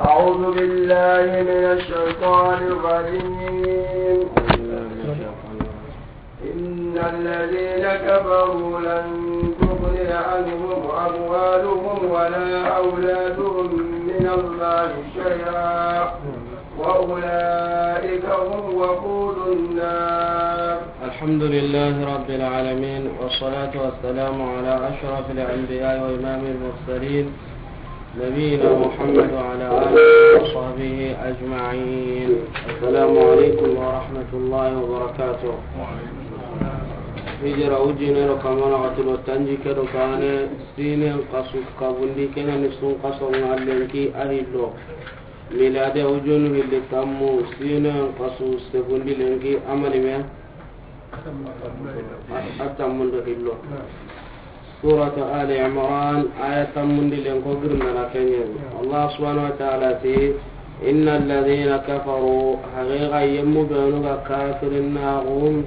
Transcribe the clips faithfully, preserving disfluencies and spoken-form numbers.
أعوذ بالله من الشيطان الرجيم. إن الذين كفروا لن تغني عنهم أموالهم ولا أولادهم من الله شيئا وأولئك هم وقود النار. الحمد لله رب العالمين، والصلاة والسلام على أشرف الأنبياء وإمام المرسلين، نبينا محمد وعلى آله وصحبه أجمعين. السلام عليكم ورحمة الله وبركاته. Hijira wujinero kamana xatulo tanji kedo kane sinen kasu kabundi kena ni sun kaso nga lenki a hillo. Milade wujunu hilli tammu sinen kasu segundi lenki amani me. A tammundo hillo. Suratu Ali Imran, aya tammundi len ko girndana kenyen. Allah subhanahu wa ta'ala ti, "Inna alladhina kafaru," haqiqa yemmu benu ga kafirin na gum,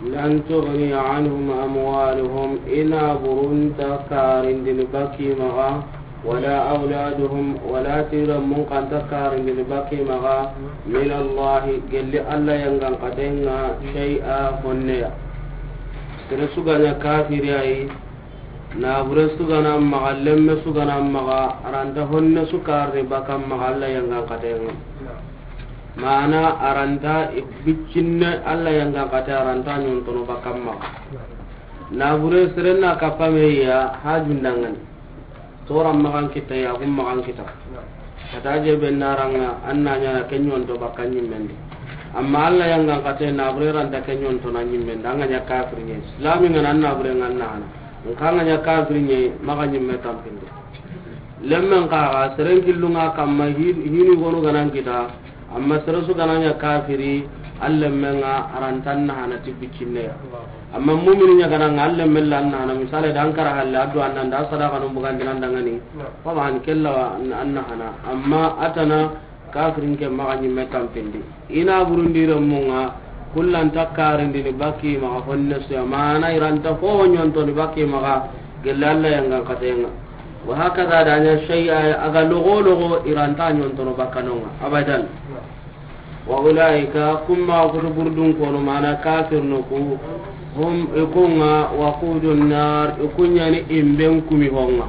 "lan tughni anhum amwaluhum," ina burunta karindini baki maga, "wala awladuhum," wala tira mun kanta karindini baki maga, "min Allahi," gelli Allah yangan katenga, "shay'a," honneya. Sere suganya kafiri ayi, nabure sugana maga, lemme sugana maga, aranta honne sukarni baka maga Allah yangan katenga. Mana aranta biccinne Allah yangan kate, aranta nyontono baka maga. Nabure serenna kapame ya hajundangani. Toran magan kita, yagun magan kita. Kata je be naranga, anna nyana kenyonto baka nyimmendi. Amma Allah yangan kate nabure ranta kenyonto na nyimmendi. Anga nya kafir nye. Islami ngana nabure nganna hana. Nkanga nya kafir nye, maga nyimme tampindi. Lemmen kaga, seren killunga kamma hi-, hini gonu ganan kita. Amma sere su gananya kafiri, allemmenga arantan na hana ti biccinneya. Amma mumini nya gananga allemmella an na hana, misale da an kara halle addu annan da sadaka no bugan dinan dangani. Fama an kella wa an na hana. Amma atana kafirin ke maga nyimme tampindi. Ina burundi remunga, kullan takkarindini baki maga honne suya. Mana iranta ho nyonto ni baki maga, gella Allah yangan katenga. Wa hakaza da nya shay'a aga logo logo iranta nyontono bakanonga abadan. Wa ulaika, kumma kutu burdun kono mana kafir no ku, hum ikunga waqudun nar, ikunyani imben kumi honga.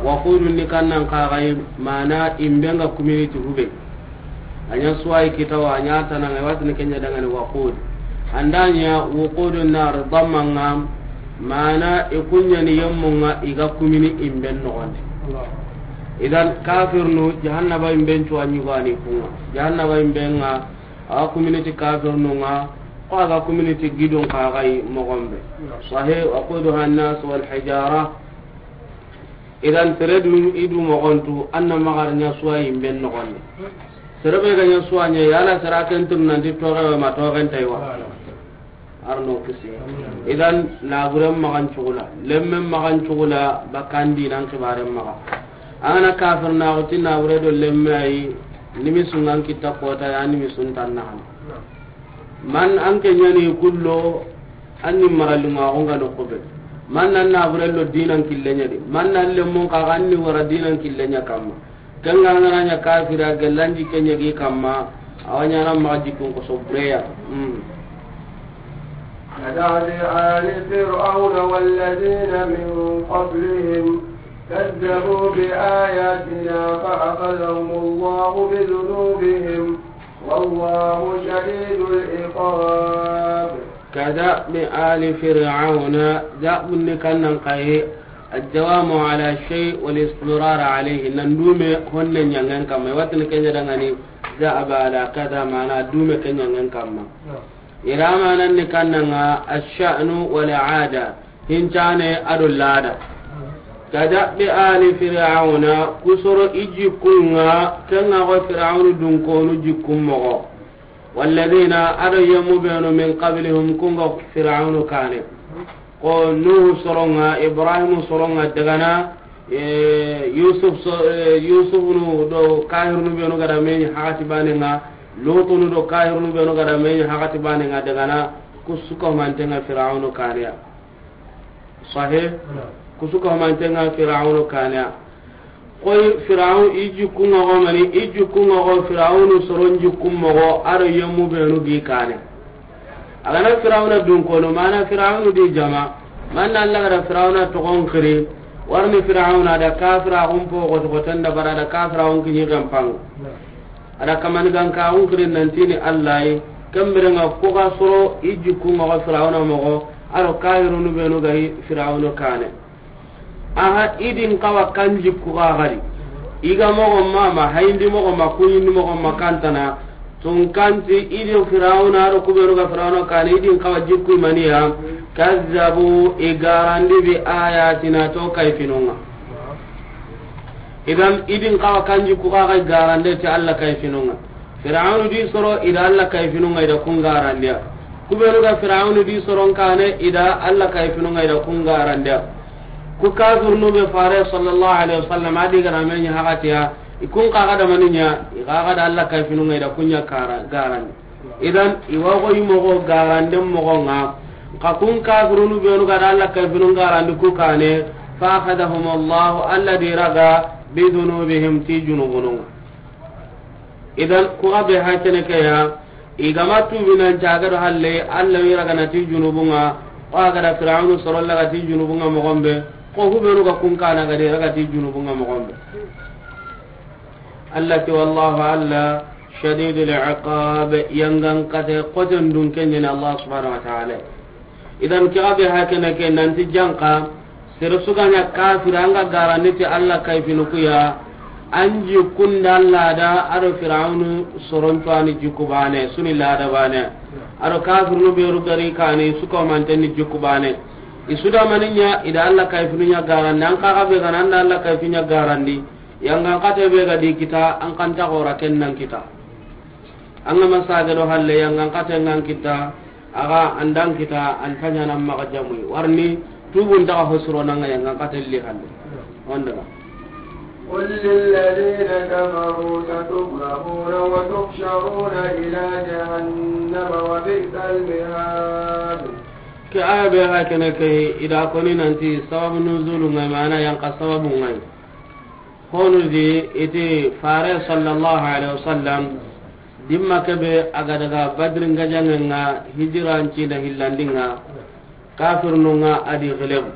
Waqudun ni kannan kagai mana imbenga community hube. Anya suwai kitawa, anya tananga, watini kenya dangani waqud. Andanya wuqudun nar damanga, mana ikunyani yemmunga iga kumini imben nogonde. Idan kafirnu jahannaba imben cuwa nyugani kunga. Jahannaba imbenga, awa community kafirnunga, ko aga community gidon kagai mogombe. Sahih, waquduha an-nas wal hijara. Idan sere du idu mogontu anna magar nya suwa imben nogonde. Sere be ga nya suwa nya yala sere ken tun nanti toge ma togen taiwa. Arno kisi. Idan naburen magan cugula, lemmen magan cugula, bakandi nan kibaren maga. Angana kafir na uti nabure do lemme ayi, nimi sungan kita kota ya nimi suntan na. Man an ke nyani kullo, an ni maralunga onga no kobe. Man nan nabure lo dinan killenya di. Man nan lemmun ka an ni wara dinan killenya kamma. Kanga ngana nya kafira gellanji kenya gi kamma. Awanya na maji kun ko sobreya. Mm. كدأب آل فرعون والذين من قبلهم كذبوا بآياتنا فأخذهم الله بذنوبهم والله شديد العقاب. كدأب آل فرعون، دأب نكنن قيه، الدوام على الشيء والاستمرار عليه، نندوم هن نيانغان كما يوتن كن يدغني، دأب على كذا معنى دوم كن نيانغان كما. Ira manan ni kannanga الشأن والعادة, hincane ado lada. كدأب آل فرعون, kusoro i jikkunga, kenga go Firaunu dunkonu jikkun mogo. والذين, ado yemu benu, من قبلهم, kunga Firaunu kane. Ko Nuhu soronga, Ibrahimu soronga dagana, e, Yusuf so, e, Yusufunu do kahirunu benu gada meñi hakati banenga, Lutunu do kahirunu benu gada meñi hakati banenga dagana, kusuka mantenga Firaunu kaneya. Sahih? Kusuka mantenga Firaunu kaneya. Koy Firawun i jikku ŋa xo mani, i jikku ŋa xo Firawunu soron jikku moxo, a do yemmu benu gi kane. A ga na Firawuna dun kono, mana Firawunu di jama, manna Alla ga da Firawuna toxon xiri, warni Firawuna da kafira xun po xoto xoten da bara da kafira xun kiɲi xenpan. A da kamani gan ka xun xiri nantini Alla yi, ken bire ŋa ku ga soro i jikku ŋa xo Firawuna moxo, a do kafirunu benu ga yi Firawunu kane. Aha, i din kawa kan jikku ga gari. I ga moxo ma, ma hayindi moxo ma, kuɲindi moxo ma kantana. Tun kanti i do Firawuna, a do ku benu ga Firawuna kane, i din kawa jikku maniya. Kazzabu, i garandi bi ayatina to kayfinun ŋa. Idan, i din kawa kan jikku ga gari garande ti Alla kayfinun ŋa. Firawunu di soro i da Alla kayfinun ŋa i da kun garandiya. Ku benu ga Firawunu di soron kane i da Alla kayfinun ŋa i da kun garandiya. Ku kafirunu be fare sallallahu alaihi wasallam a di ga na me ɲa haqatiya, i kun xa ga da mani ɲa, i xa ga da Alla kayfinun ŋa i da kun ɲa kara, garandi. Idan, i wa xo i moxo garande moxo ŋa. Xa kun kafirunu benu ga da Alla kayfinun garandi ku kane, fa akhadhahum Allahu, Alla di raga, bi dhunubihim, ti junubunun ŋa. Idan, ku ga be ha kene ke ya, i ga ma tubi nan caga do halle, Alla wi raga na ti junubun ŋa, o a ga da Firawunu soro laga ti junubun ŋa moxon be, ko hubenu ga kun kana ga de raga ti junubun ŋa moxon be. Alla ti, wallahu Alla, shadidul iqab, yangan kate xoten dun kenyene Allah subhanahu wa ta'ala. Idan ke ga be ha kene ke nanti janka, sere su ga ɲa kafira an ga garandi ti Alla kayfinu ku ya, an jikkun da Alla da a do Firawunu soron cuwani jikku bane, suni lada bane. A do kafirunu be ru gari kani su ko mantenni jikku bane. I su da mani ɲa, i da Alla kayfinu ɲa garandi, an xa ga be ga na an da Alla kayfinu ɲa garandi. Yangan kate be ga di kita, an xa nta xora ken nan kita. An ga ma sage do halle yangan kate ngan kita, a ga an da an kita, an ta ɲaana maxa jamuyi. Warni, tubun ta ga hosuro nan ga yangan kate li halle. Wanda ga. قل للذين كفروا ستغلبون وتحشرون إلى جهنم وبئس المهاد. Ke aya be ha kene ke i da koni nanti sababu nuzulu ŋa yi, mana yanka sababu ŋa yi. Honu di i ti fare sallallahu alaihi wasallam, dimma ke be a ga daga Badri ngajaŋen ŋa, hijiran cina hillandin ŋa, kafirnun ŋa a di gelebu.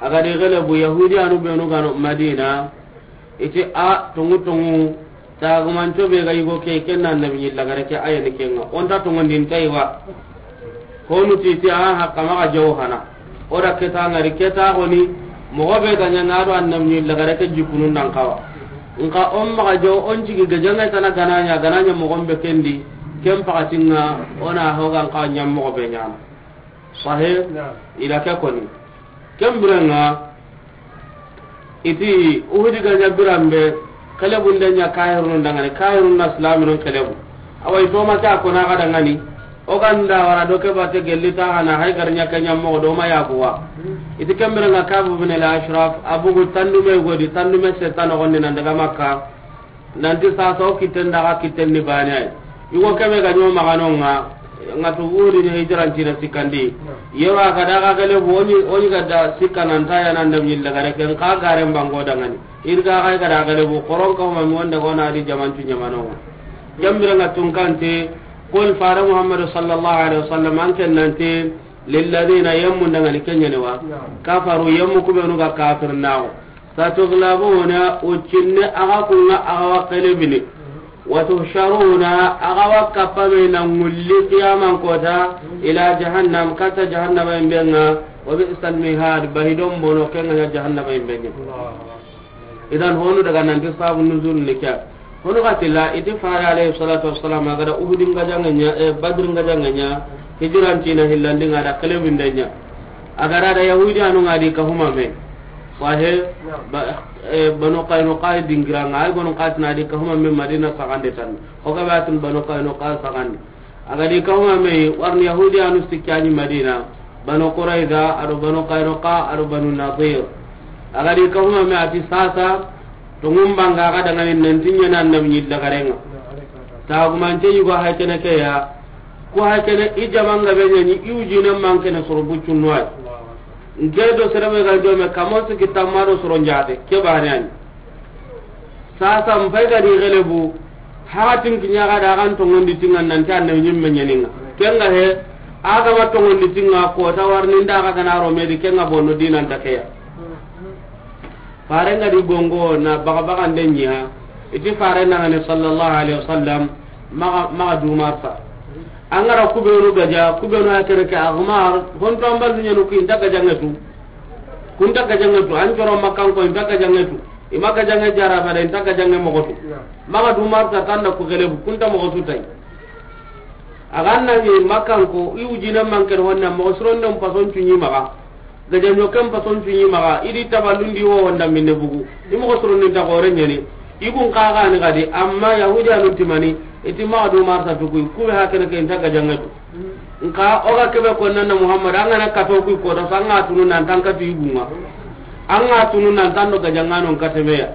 A ga di gelebu, Yahudiyanu benu ga no Madina, i ti a tongu tongu, tagumanco be ga yigo ke, ken na Annabi ɲi lagare ke, a ya ni ken ŋa. O nta tongondin ta yi wa. Honu ti ti a haqqa maxa jaw hana. O da ke ta ŋari ke ta xoni, moxo be ga ɲa ŋa do Annabi ɲi lagare ke jikunun dan xawa. Nxa o maxa jaw, o n cigi gajaŋe tana ga na ɲa, ga na ɲa moxon be ken di, ken paxatin ŋa, o na ho ga n xawa ɲa moxo be ɲaana. Sahe, naam. I da ke koni. Ken biren ŋa, i ti Uhudi ga ɲa biran be, kelebun da ɲa kahirun dangani, kahirun na silaminun kelebu. Awa i toma ke a kona ga dangani, o ga nda wara do ke bate gelli ta hana, hay gar ɲa ke ɲa moxo do ma ya kuwa. I ti ken biren ŋa Kabu bin al-Ashraf, a bugu tandume godi, tandume se tano gonni nan daga Makka. Nanti sasa o kitten daga kitten ni bane ay. Yugo kebe ga ɲo maxano ŋa, ŋa tu wuri ni hijiran cina sikkandi. Yero a ga daga gelebu, o ɲi, o ɲi ga da sikka nan ta ya nan da ɲi lagare ken xa garen bango dangani. Irga ga ga da gelebu, xoron ka ma mi wonde gona di jamantu ɲamano ŋa. Jambira ŋa tun kante, qul fare Muhammadu sallallahu alaihi wasallam an ken nanti, lilladina yemmu dangani kenyene wa. Kafaru yemmu kubenu ga kafir nawo. Satughlabuna, ucinne aga kunga aga wa kelebini. Wa tuhsharuna, aga wa kapame na ngulli qiyaman kota, ila jahannam, kata jahannama imbenga, wa bi'sal mihad, bahidon bono kenga nya jahannama imbenga. Idan honu daga nanti sabu nuzul ni kya. Hono ga tilla, iti fare alayhi salatu wassalam, a ga da Uhudin ga janganya, eh, Badrin ga janganya, hijiran tina hillandin ga da kelebindanya. A ga da Yahudi anu ga di kahuma me. Wahe, ba, eh, Banu Qaynuqa dingiranga, ay Banu Qaynuqa na di kahuma me Madina sagande tan. O ga batun Banu Qaynuqa sagande. A ga di kahuma me, warni Yahudi anu sikkani Madina, Banu Qurayza, ado Banu Qaynuqa, ado Banu Nadir. A ga di kahuma me ati sasa, to ngumbanga ga dangani nanti ɲana annabi ɲi lagarenga. Tagumante yugo hay kene ke ya, ko hay kene i jamanga be ɲani, i wujine man kene soro buccunno ay. Nke do serebe ga do me kamo siki tamma do soro njate, ke bane ani. Sasa n pay ga di gelebu, haxatin kiɲa ga da, a ga n tongondi ti ŋa nanti annabi ɲimme ɲaninŋa. Ken ŋa he, a ga ma tongondi ti ŋa, ko ta warni nda ga na ro me di, ken ŋa bono dinan ta ke ya. Faren ga di gongo na baga baga nde ɲiya, i ti faren na ŋa ni sallallahu alaihi wasallam, maxa, maxa du marsa. An ga ra kubenu gaja, kubenu ya kere ke Ammar, honto an ballu ɲenu ku i nta gajaŋe tu. Ku nta gajaŋe tu, an coro Makkanko i nta gajaŋe tu. I ma gajaŋe jara bada, i nta gajaŋe moxo tu. Maxa du marsa tanda ku gelebu, ku nta moxo tu tay. A ga na ɲi Makkanko, i wujine manke honne, moxo sironden pason cuɲi maxa. Gajaŋo ken pason cuɲi maxa, i di taballundi wo wonda minne bugu. I moxo sironden ta gore ɲeni. I gun xa ga ni gadi, amma Yahudiyanun ti mani, i ti maxa du marsa tu ku yi, ku be hakene ke i nta gajaŋe tu. Nka o ga kebe ko nan na Muhammad, an ga na kato ku yi ko ta, an ga tunu nan tan katu i gunŋa. An ga tunu nan tan do gajaŋanon kate me ya.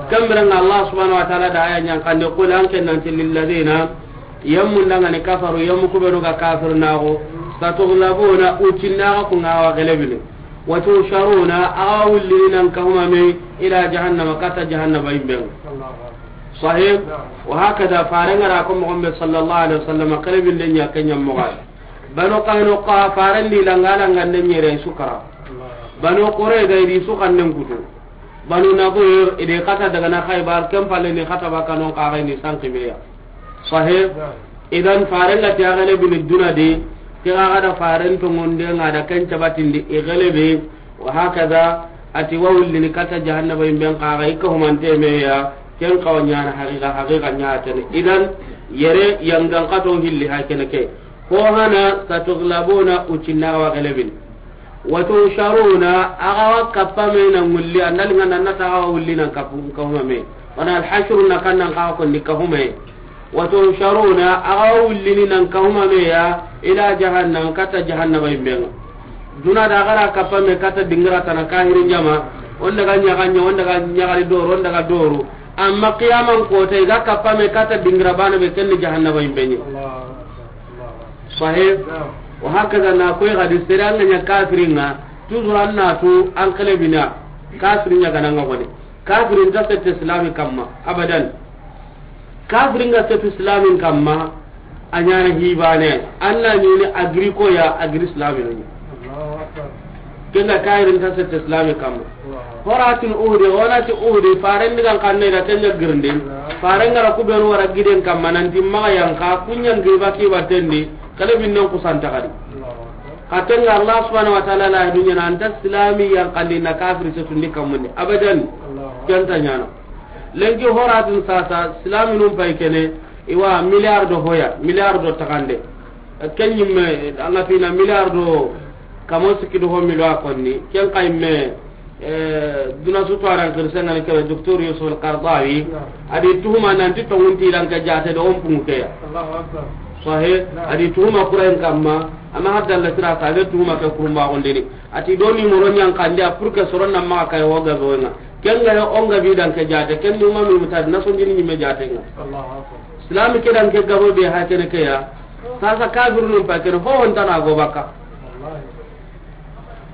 Ken biren ŋa Allah subhanahu wa ta'ala da aya ɲa n xande, qul, an ke nanti, lilladina, yemmu nda ŋa ni kafaru, yemmu kubenu ga kafir naxo, satughlabuna, ucinna ga ku ŋa wa gelebini, wa tusharuna, a ga wullini nan kahuma me, ila jahannama, kata jahannaba yimben. Sahih. Wa hakada, faren ga ra ko moxo be sallallahu alaihi wasallam, xelebinde ɲa ke ɲa moxo ya. Banu Qaynuqa, faren di langa langa nde ɲere su kara. Banu Qurayza, i di su xannen kutu. Banu Nadir, i di kata daga na Khaybar, ken palle ni kata ba kanon xa ga ni sanki me ya. Sahih. Idan faren ga ti a gelebini duna di, ke ga da faren tongonde ŋa da ken cabatindi, i gelebe, wa hakada, a ti wa wullini kata jahannaba yimben xa ga i kahumante me ya, ken xawa ɲana haqiqa, haqiqa ɲa tene. Idan, yere yangan kato hilli hakene ke. Ko hana, satughlabuna, ucinna ga wa gelebin. Wa tusharuna, a ga wa kappa me na ŋulli, andal ŋa nan na ta ga wa wulli nan kappu, kahuma me. Wana al-hashru na kan nan xa ko ni kahuma me. Wa tusharuna, a ga wa wullini nan kahuma me ya, ila jahannam, kata jahannaba yimben ŋa. Duna da a ga ra kappa me kata dingira tana kahirin jama, on daga ɲaga ɲa, on daga ɲaga doro, on daga doro. Amma qiyaman kota, i ga kappa me kata dingira bana be, ken ni jahannaba yimben ɲi. Sahih. Wa hakada na koy gadi sere an ga ɲa kafirin ŋa, toujours an na tu an xelebina, kafirin ɲa ga na ŋa gone. Kafirin ta sette islami kamma, abadan. Kafirin ga sette islamin kamma, a ɲana hibane, an na ɲini agriko ya, agri islami no. Ken ga kafirin ta sette islami kamma. Horatin Uhudi, wona ti Uhudi, faren digan kanne da ken ɲa girindin. Faren ga ra kubenu wara giden kamma, nanti maxa yanka, ku ɲa ngi baki batendi, kale binnen kusanta kadi. Xa ken ŋa Allah subhanahu wa ta'ala la dunya na anta islami yankandi na kafiri setundi kammundi. Abadan. Ken ta ɲana. Lenki horatin sasa, islaminun pay kene, i wa milliard do hoya, milliard do taxande. Ken ɲimme, an ga fina milliard do kamo sikki do ho milo a konni. Ken xa yimme, eh, duna su tuwaran xirisen ŋa ni kebe, Docteur Yusuf Al-Qaradawi, a di tuhuma nanti tongunti i dan ke jaate do on pungu ke ya. Sahih, a di tuhuma kurayen kamma, amma hadda la sira ta be tuhuma ke kurumba gondini. A ti do ni moro ɲankandi a pour que soron na maxa kay ho gabe wo ŋa. Ken ga yo on gabi dan ke jaate, ken ni ma mi mutadi na sonjini ɲimme jaate ŋa. Islami ke dan ke gabo be ha kene ke ya. Sasa kafirunun pa kene ho hon tana go baka.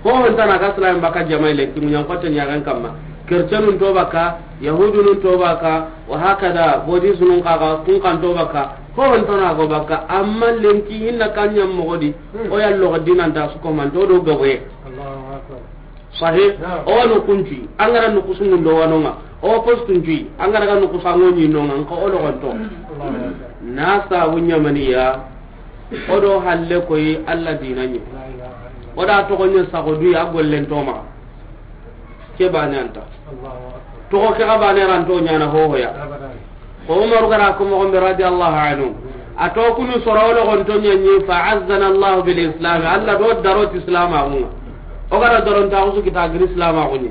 Ho hon tana ga islami baka jama'i lenki muɲan kotte ɲagan kamma. Kercenun to baka, yahudunun to baka, wa hakada, bodisunun kaga, kun kan to baka. Ho hon tana go baka, amma lenki hinna kan ɲam mogodi. O yallo dinan ta su ko man to do gaboye. Sahih. O wano kunci, an ga ra no kusungun do wano ŋa. O postun ci, an ga ra no kusango ni no ŋa, nka o logonto. Na sabu ɲamaniya, o do halle koyi Allah dina ɲi. O da toxo ɲa sago duyi a gollen toma. Ke bane anta. Toxo ke ga bane ranto ɲana hohoya. Ko Umaru ga ra ko moxo be radiyallahu anhu. A to kunu soro logonto ɲa ɲi, fa azzana Allah bil Islam. Allah do daro ti Islam a ŋa. O ga ra daron ta usu kita giri Islam a ŋa ɲi.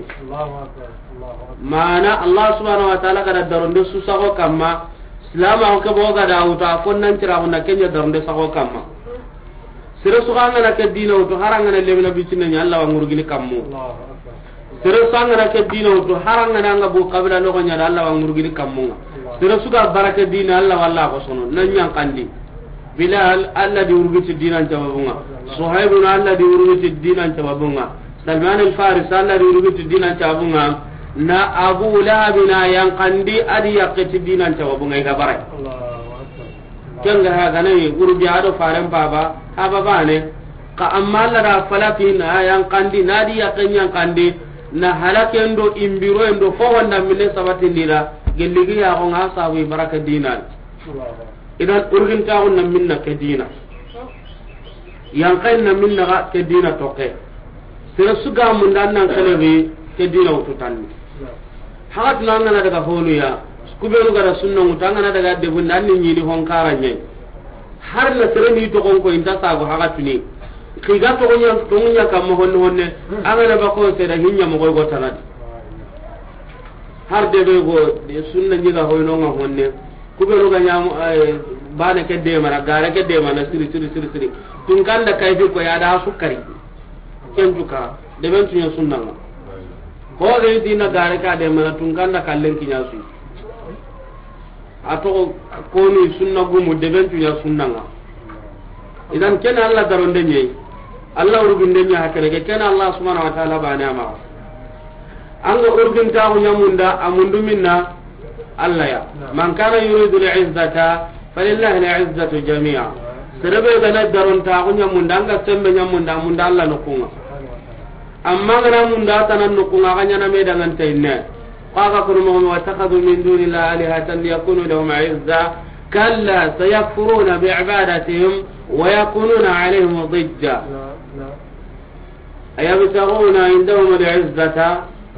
Mana Allah subhanahu wa ta'ala ga ra daron de su sago kamma. Islam a ke bo ga da wuta fo nan tira ko na ken ɲa daron de sago kamma. Sere su ga ŋa na ke dina wutu, har an ga na lemina bitine ɲa, Allah wa ŋurugini kammu. Sere su ga ŋa na ke dina wutu, har an ga na ŋa bo kabila logo ɲa da, Allah wa ŋurugini kammu ŋa. Sere su ga bara ke dina, Allah wa Allah ko sono, nan ɲankandi. Bilal, Allah di wurugiti dinan sababu ŋa. Suhaibun, Allah di wurugiti dinan sababu ŋa. Salman al-Faris, Allah di wurugiti dinan sababu ŋa. Na Abu Lahabi na yanqandi, a di yaqqe ti dinan sababu ŋa i ga bara. Allahu Akbar. Ken ga ha ga na yi, gurbi a do faren paba, haba bane. Ka amma Alla da falaki na yanqandi, na di yaqqe yanqandi, na halaken do inbiroyen do fo honda minne sabatindira, gelli gi ya xo ŋa sabu i bara ke dinan. Idan urgintaxu na minna ke dina. Yanqayi na minna ga ke dina toke. Sere su ga munda nan xelebi ke dina wutu tanni. Haxatunu an ga na daga honu ya, kubenu ga da sunna ŋutu an ga na daga debu nan ni ɲini hon kara ɲe. Har na sere ni toxon ko inta sago haxatuni. Xiga toxonya, toxonya kamma honne honne, an ga na bako sere hinya mo go tanadi. Har debe go de sunna ɲi ga hoyno ŋa honne. Kubenu ga ɲamu, eh, bane ke demana, gare ke demana, siri, siri, siri, siri. Tunkanda kayfi ko ya da sukari. Ken tuka, deben tunya sunna ŋa. Ho ga dina gare ka demana, tunkanda kallen kinya su. A to ko ni sunna gumu, deben tunya sunna ŋa. Idan ken Alla daronde ɲeyi. Alla urginde ɲa hakene ke ken Alla subhanahu wa ta'ala bane ama. An ga urgintaxu ɲamunda, a mundu minna Alla ya. Naam. Man kana yuridu al-izzata falillahi al-izzatu jami'a. Sere be ga na darontaxu ɲamunda, an ga sembe ɲamunda, a munda Alla noxun ŋa. Amma an ga na munda tana noxun ŋa, a ga ɲana me danganta inne. Xa ga kono moxo, واتخذوا من دون الله آلهة ليكونوا لهم عزا كلا سيكفرون بعبادتهم ويكونون عليهم ضدا. Naam, naam. أيبتغون عندهم العزة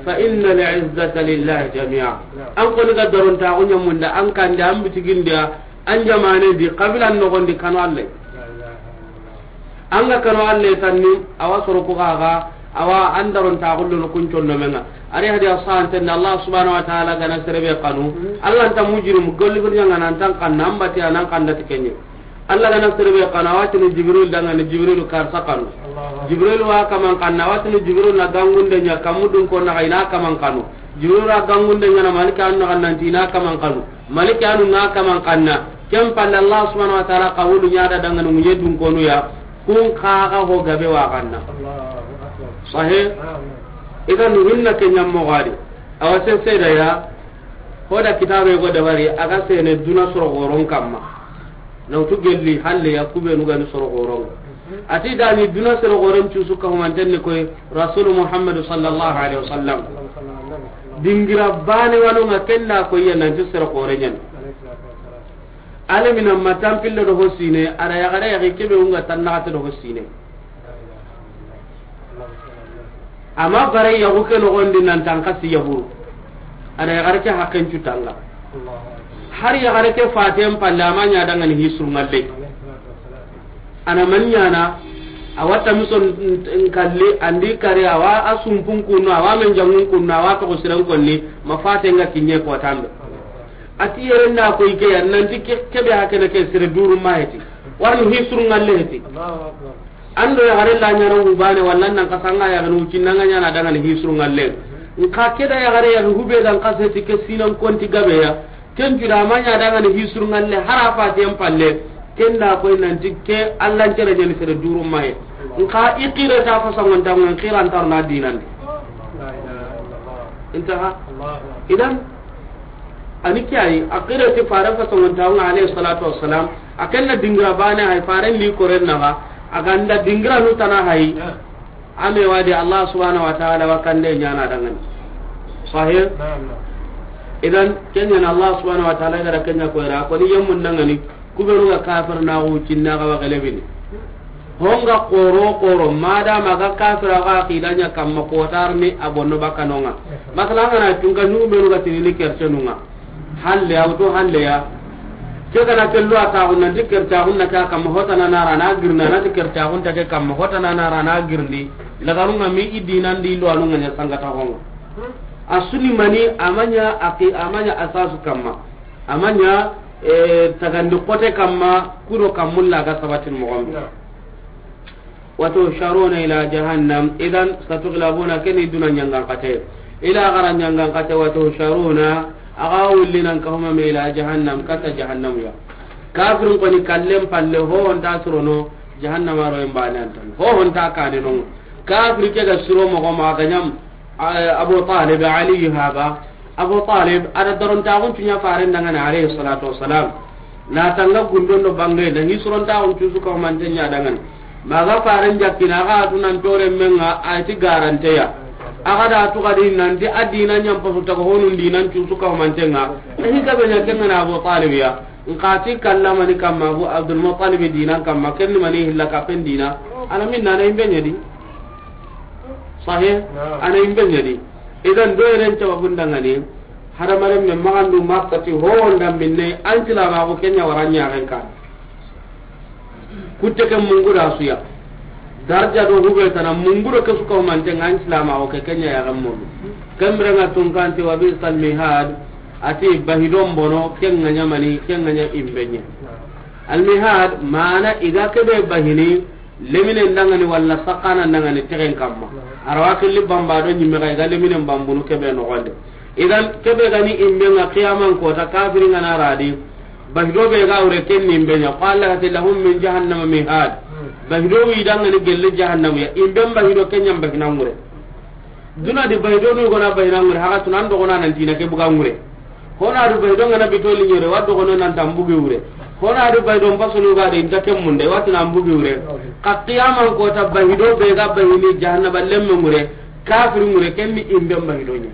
فإن العزة لله جميعا. Naam. An koni ga darontaxu ɲamunda, an kande, an bitigindiya, an jamane di, xabilan noxondi kanu Alla. La ilaha illallah. An ga kanu Alla tanni, awa soro ku xaxa, awa an darontaxu lono kun condomen ŋa. Ari hadi a sahanten da Alla subhanahu wa ta'ala ga na sere be kanu. Mm. Alla nta mujrim, golli birnya ŋa nan tan kanna, an bati anan kanda ti kenye. Alla ga na sere be kanu, a wa tini Jibril dangani, Jibril karsa kanu. Allahu Akbar. Jibril wa kaman kanna, a wa tini Jibril na gangunde ɲa, kamu dun ko na ga i na kaman kanu. Jibril wa gangunde ɲa na malika anu na nanti i na kaman kanu. Malika anu na kaman kanna. Ken palle Allah subhanahu wa ta'ala qawlu ɲa da dangani ŋuɲe dun konu ya. Kun kaga ho gabe wa kanna. Allahu Akbar. Sahih? Naam. Idan hinna ke ɲammo gadi. Awa sen seda ya. Hoda kitabe go dabari, a ga sene duna soro goron kamma. Na wutu gelli halle ya kubenu gani soro goron. Ati dani duna soro goron cusu ka humanten ni koy Rasul Muhammad sallallahu alaihi wasallam. Dingira bane wano nga kenda ko ya nanti soro goren yan. Alamina matampille do hosine, ara yagare yagi kebe unga tannagate do hosine. Ama bare yagu ke nogondi nan tan kasi yahuru. Ana yagare ke hakken cutanga. Har yagare ke faten palle ama ɲa dangani hisru ngalle. Ana man ɲana, awa tamison nkalli, andi kare, awa a sumpun kunno, awa men jangun kunno, awa togo siren konni, ma faten ga kinye ko tambe. Ati yere nda ko ike ya, nanti ke, kebe hakene ke sere duru ma heti. Warni hisru ngalle heti. Allahu Akbar. Ando yagare la ɲana hubane, walla nan kasanga yagare wucinna nga ɲana dangani hisru ngalle. Nka keda yagare yagi hube dan kaseti ke sinan konti gabe ya. Ken juda ma ɲa dangani hisru ngalle, hara faten palle. Kenda koy nanti ke Allah ncere ɲani sere duru maye. Nka i qire ta fasangon ta ngon qiran tarna dinandi. Intaha. Idan, ani kiyayi, a qire ti fare fasangon ta ngon alayhi salatu wassalam. A kenna dingira bane hay fare li koren naga. A ganda dingira nu tana hay. Ame wadi Allah subhanahu wa ta'ala wa kande ɲana dangani. Sahih? Naam, naam. Idan, kenya na Allah subhanahu wa ta'ala gara kenya ko ira, ko ni yammun dangani, kubenu ga kafir na hu cinna ga wa galebini. Honga koro koro, mada maga kafir ga aqidanya kamma kotarni abonno bakanonga. Masala ngana tunga nyumenu ga tinini kercenunga. Halle ya, wuto halle ya. Ke gana kello a taxu nanti kercaxun na ke a kamma hotana nara na girna, nati kercaxun ta ke kamma hotana nara na girndi. Lagarunga mi i dinandi lo anunga ɲa sangata honga. A suni mani amaɲa aqi, amaɲa asasu kamma. Amaɲa, eh, tagandi kote kamma, kuro kammulla ga sabatin moxombe. وتحشرون إلى جهنم، إذن ستغلبون كني دون نيانغان قتي. إلى غرا نيانغان قتي وتحشرون، أغاول لنا كهما إلى جهنم، كتا جهنم يا. كافر قني كلم فله هو أنت سرونو، جهنم رو ينباني أنت. هو أنت كاننو. كافر كذا سرو مغمى غنم. Abu Talib, Ali haba. Abu Talib, a da darontaxun cuña faren dangani, alayhi salatu wassalam. Na tanga gundon do bange, na hisurontaxun cusu kahumanten ña dangani. Maga faren jakkina, a ga tu nan tore menga, a ti garanteya. A ga da tu gadi nanti a dina ñampasu taga honun dinan cusu kahumantenga. Na hi gabe ña kengana Abu Talib ya. Nka ti kallamani kamma Abu Abdul Muttalib dinan kamma, kenni mani hilla kapen dina. Ana minna na imbe ña di. Sahih? Naam. Ana imbe ña di. Idan do yeren sababun dangani. Hadamaren me magandu makkati ho wonda minne, an silamaxu kenya wara ñaxen kan. Kutte ke mungu da suya. Darja do hube tana mungu do ke su kahumantenga, an silamaxu ke kenya yaxen molu. Kemrenga tunkanti wa bi'sal mihad, ati bahidon bono, kenga ña mani, kenga ña imbe ña. Al mihad, mana i ga kebe bahini, leminen dangani walla sakana dangani tegen kamma. Arawa killi bamba do ñimme ga, i ga leminen bambunu kebe noxonde. Idan kebe gani imbe nga qiyaman kota, kafiri nga na radi. Bahido be ga wure ken ni imbe ña. Qala lati lahum min jahannama mihad. Bahido wi dangani gelle jahannama ya. Imbe bahido kenya bahina ngure. Duna di bahido nu gona bahina ngure, haga tunan do gona nan tina ke buga ngure. Hona du bahido ngana bitoli ñore, wa do gono nan tambugi wure. Hona du bahido mpasonu ga de inta ke munde, wa tunan bugi wure. Ka qiyaman kota bahido be ga bahini jahannaba lemme ngure, kafiri ngure, kenni imbe bahido ña.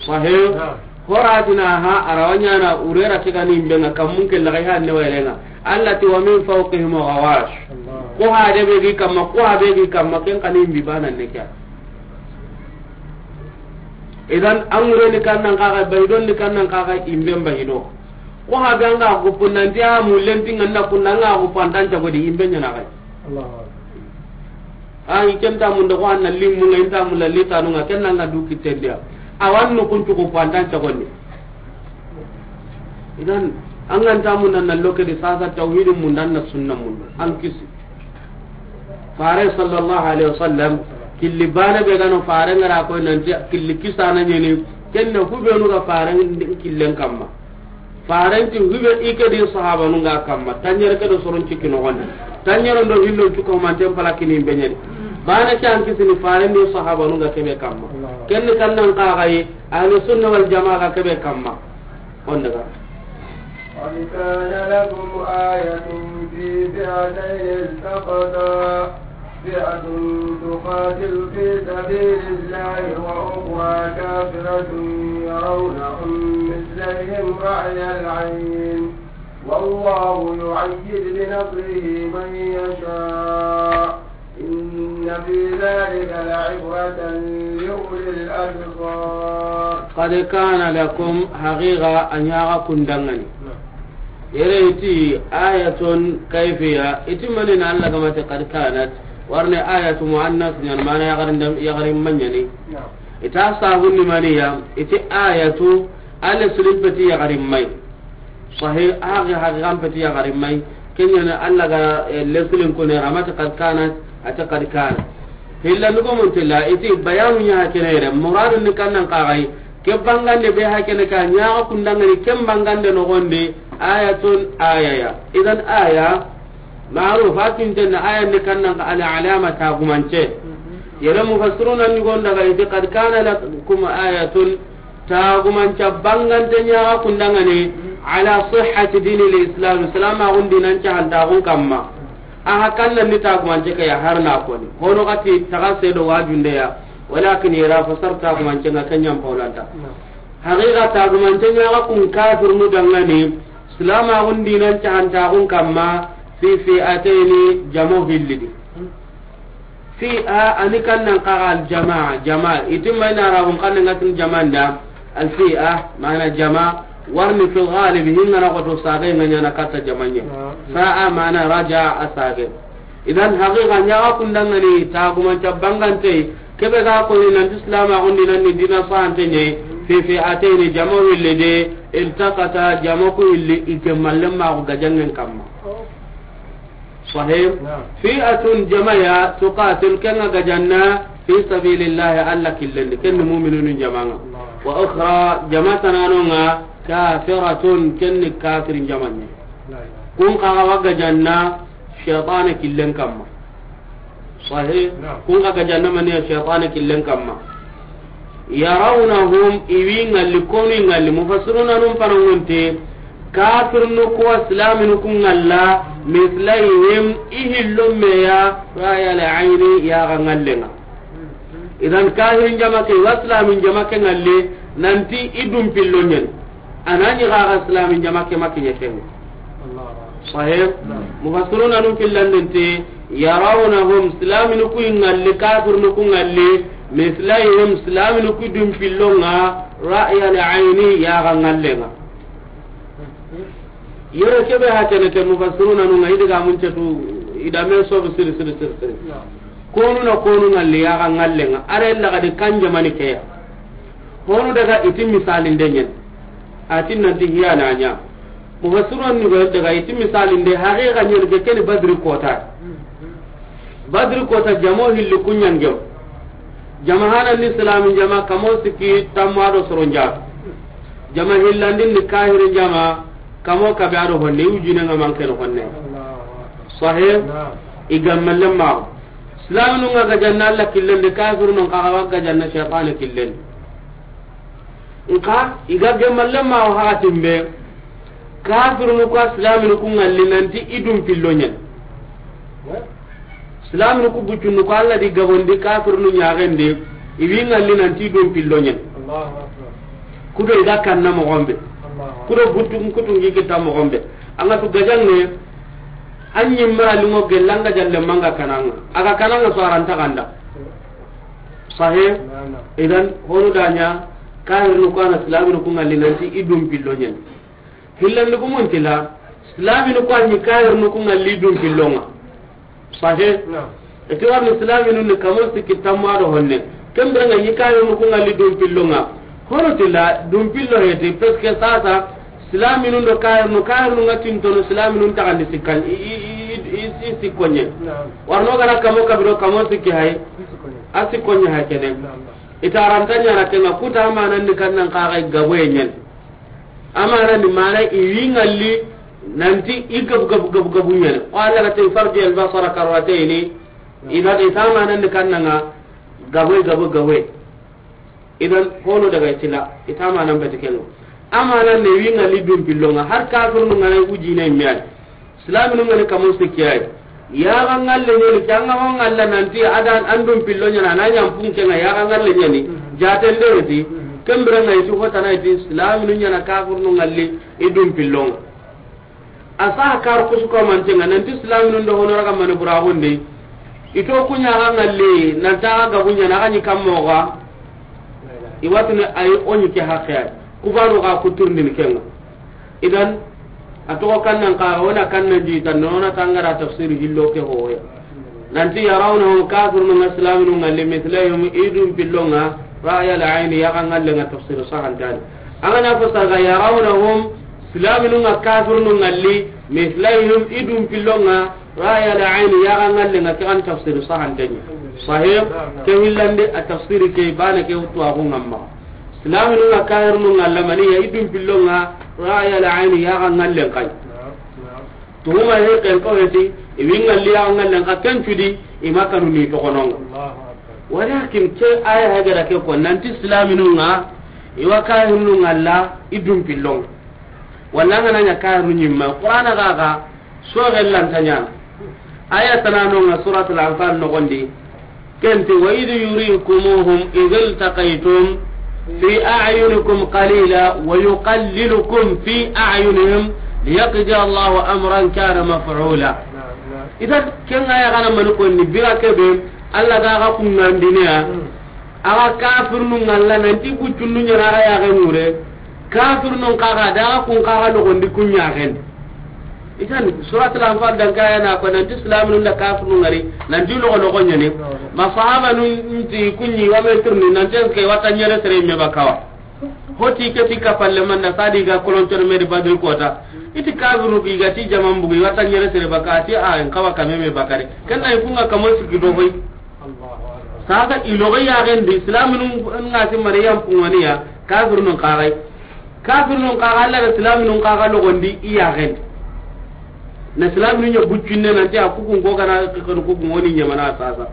Sahih? Naam. Horatina ha, arawa ñana, urera ke gani imbe nga, kammun ke lagai ha ne wayrenga. Allah ti wa min fawqihim ghawash. Allah. Ko ha de be gi kamma, ko ha be gi kamma, ken kani imbi bana ne kya. Idan, an ŋureni kannan kaga, baydon ni kannan kaga, imben baydo. Ko ha be an ga guppu nanti a mu lenti nganna kunna an ga guppu antan cagodi, imben ñana kay. Allahu akbar. A, i ken ta mun da ko anna limmu nga inta mun la litanu nga ken nga du kitendia. Awan no kun cuku ko antan cagonni. Idan, an ga nta mun nan lokedi sasa tawhidin mun dan na sunna mun an kisi. Fare sallallahu alaihi wasallam, killi bana be gano fare ngara ko nanti killi kisana ñeni, kenne hubenu ga fare killen kamma. Faren ti hube ike di sahabanu nga kamma, tanyere ke do soron cikki no gonde. Tanyere ndo hillo cuko manten pala kini beñeni. Bana ke an kisini faren di sahabanu nga kebe kamma. Kenne kannan ka gayi, ahli sunna wal jamaa ga kebe kamma. On daga. قد كان لكم آية في فئتين التقتا، فئة تقاتل في سبيل الله وأخرى كافرة يرونهم مثليهم رأي العين، والله يؤيد بنصره من يشاء، إن في ذلك لعبرة لأولي الأبصار. قد كان لكم، حقيقة أن يغاكم دنغني. Yere iti ayatun kayfiya, iti mani na Allah gamate qad kanat, warne ayatu muannas ñan mana yagarin dam, yagarin mañani. Ita sabun ni maniya, iti ayatu, ale sulin peti yagarin mai. Sahih, haqi, haqi kan peti yagarin mai. Kenyana Allah ga, eh, lesulin kone ramate qad kanat, ate qad kanat. Hilla nugo muntilla, iti bayanu ña kenere, muradun ni kannan kagai, ke bangande be hakene ka ñaxa kundangani, ken bangande nogondi, ayatun ayaya. Idan aya, ma'ruf, a tintenna aya ni kannan ka al alama tagumance. Yere mufassiruna ni gonda ga iti qad kana lakum ayatun, tagumanca bangante ñaxa kundangani, ala sihhati dini l islam, islam agun dinan cahantagun kamma. Aha kanna ni tagumance ke ya harna koni. Hono kati taga sedo wajunde ya. Walakin yera fasar tagumance nga kenyan paulanta. Haqiqa tagumance ñaxa kun kafir nu dangani, silamaxun dinan cahantaxun kamma, fi fi'atayni, jamo hillidi. Fi'a, ani kannan kaga al jama'a, jama'a. Itin mayna arabun kannan ngatin jama'an da, al fi'a, mana jama'a, warni fil ghalib, hingana koto sage nga ñana katta jama'an ña. Fa'a, mana raja'a, a sage. Idan haqiqa ñaxa kundangani tagumanca bangante, kebe ga koni nanti silamaxun dinanni dina sahante ñe, fi fi'atayni, jama wille de, iltaqata, jama ku illi ike mallen maxu gajangen kamma. Sahih? Fi'atun, jamaya, tuqatil, kenga gajanna, fi sabilillahi, Allah killendi, kenni mu'minunun jamanga. Wa ukhra, jama tananonga, kafiratun, kenni kafirin jamanne. Kun kaga wa gajanna, shaytana killen kamma. Sahih. Naam. Kun ga ga jahannama ni ya shaytan killen kamma. Yarawnahum, i wi ŋalli, konu i ŋalli. Mufassiruna nun panangunte, kafirnu ku wa silaminu ku ŋalla, mislayhim, i hillo me ya, ra'yal ayni, yaxa ŋallenŋa. Idan kafirin jama ke wa silamin jama ke ŋalle, nanti i dun pillo ɲen. A na ɲi xa ga silamin jama ke ma kiɲe ken. Sahih. Naam. Mufassiruna nun fillandente, yarawnahum, silaminu ku i ŋalli, kafirnu ku ŋalli, mislayhim, silaminu ku dun pillonŋa, ra'yal ayni, yaxa ŋallenŋa. Yere kebe ha kene ke mufassiruna nun ŋa i diga mun cetu i da me sobu siri siri siri siri. Naam. Konu na konu ŋalli yaxa ŋallenŋa. Are laga di kan jamani ke ya. Honu daga i ti misalinde ɲen. A ti nanti hiya na ɲa. Mufassirun ni go daga i ti misalinde haqiqa ɲen ke keni Badri kota. Badri kota jamo hilli ku ɲangem. Jama hana ni silamin jama kamo sikki tamma do soron jatu. Jama hillandin ni kahirin jama kamo kabe ado honne, i wujine ŋa manke no honne. Sahih. Naam. I gammalle ma. Silaminu ŋa ga janna Alla killen de, kafirnu xa ga ga janna shaytan killen. Nka i ga gemalle ma o hakatin be, kafirnu ku silaminu ku ŋalli nanti i dun pillo ɲen. Silaminu ku buccunnu ku Alla di gabondi kafirnu ɲaxen de, i wi ŋalli nanti i dun pillo ɲen. Allahu akbar. Kudo i ga kanna moxon be. Allahu akbar. Kudo buttu kutungi kita moxon be. An ga tu gajanŋe, an ɲi mara limo gellanga jalle manga kananga. A ga kananga so aranta ganda. Sahih. Naam, naam. Idan honu da ɲa kafirnu ku na silaminu ku ŋalli nanti i dun pillo ɲen. Hillandi ku mun tila silaminu ku ni kafirnu ku ŋalli i dun pillonŋa. Sahih. Naam. I ti warni silaminu ni kamo sikki tamma do honne. Ken bire ŋa i kafirnu ku ŋalli dun pillonŋa. Hono tila dun pillo heti, parce que sasa silaminu do kafirnu, kafirnu ŋa tintono silaminu taxandi sikkan i, i, i, i, i sikko ɲe. Naam. Warno gara kamo kabiro kamo sikki hay. A sikko ɲe hay kene. Naam, naam. I ta aranta ɲana kenŋa, kuta amanan ni kannan xa ga gaboye ɲen. Amanan ni mana i wi ŋalli nanti i gabu gabu gabu gabu ɲen. O Alla ga te farji al basara karratayni. Idan i ta amanan ni kannanga gaboye gabu gaboye. Idan hono daga i tila i ta amanan beti kenŋa. Amanan ne wi ŋalli dun pillonŋa har kafirnu ŋa na i wujine miyani. Silaminu ŋa ni kamo sikki ay. Yaxa ŋalle ɲeni, ke an ga ho ŋalla nanti a da an dun pillo ɲana, a na ɲa n punke ŋa yaxa ŋalle ɲeni. Mhm. Jaten de ti, mhm, ken bire ŋa i ti hotana i ti silaminu ɲana kafirnu ŋalli i dun pillonŋa. A sa kar kusu ko mantenŋa nanti silaminu ndo hono raga mani buraxundi. I to ku ɲa xa ŋalli nanta xa gabu ɲana xa ɲi kammo xa. I watini ay o ɲi ke haqqe ay. Kubanu xa kuturndini kenŋa. Idan, a toxo kannan xa, wona kannan jita, nona tangara tafsir hillo ke hoya. Nanti yarawnahum kafirnu ŋa silaminu ŋalli mislayhim i dun pillonŋa, ra'yal ayni yaxa ŋallenŋa tafsir sahantani. An ga na fasara yarawnahum silaminu ŋa kafirnu ŋalli mislayhim i dun pillonŋa, ra'yal ayni yaxa ŋallenŋa ke an tafsir sahantenni. Sahih, ke hillandi a tafsir ke bana ke wutu axu ŋamma. Silaminu ŋa kafirnu ŋa lamaniya i dun pillonŋa ra'yal ayni yaxa ŋallen kay. Tuhuma he ken ko heti, i wi ŋalli yaxa ŋallen ka ken cudi, i ma kanu ni toxononŋa. Walakin ke aya hagara ke ko nanti silaminu ŋa i wa kafirnu ŋalla i dun pillonŋa. Walla ŋa na ɲa kafirnu ɲimma. Qur'ana ga ga Soxellanta ɲana. Aya tanano ŋa Suratul Anfal noxondi. Kenti, wa idh yurikumuhum idh iltaqaytum fi a'yunikum qalila wa yuqallilukum fi a'yunihim liyaqdi Allahu amran kana maf'ula. Idan, ken aya ga na mani konni bira kebe, Alla ga ga kungandiniya. Axa kafirnu ŋalla nanti buccunnu ɲana axa yaxe ŋure. Kafirnun kaxa da axa kun kaxa loxondi kun ɲaxen. Itan Suratul Anfal dan kaya na ko nanti silaminu nda kafirnu ŋari nanti loxo loxo ɲani. Ma sahabanun nti kunɲi wa metirni nanti eske wata ɲere sere me bakawa. Hoti ke ti kapalle manda sadi ga kolontor me di Badri kota. Iti kafirnu gi ga ti jaman bugi wata ɲere sere baka ti a en kawa kame me bakare. Ken ay kunga kamo sigi do hoy. Sasa i logo yaxen di, silaminu ŋa ti Mariyam pungoniya, kafirnun kaxay. Kafirnun kaxa, Alla da silaminu kaxa logondi i yaxen di. Na silaminu ɲa buccinne nanti a kukun ko gana kanu kukun woni ɲamana sasa.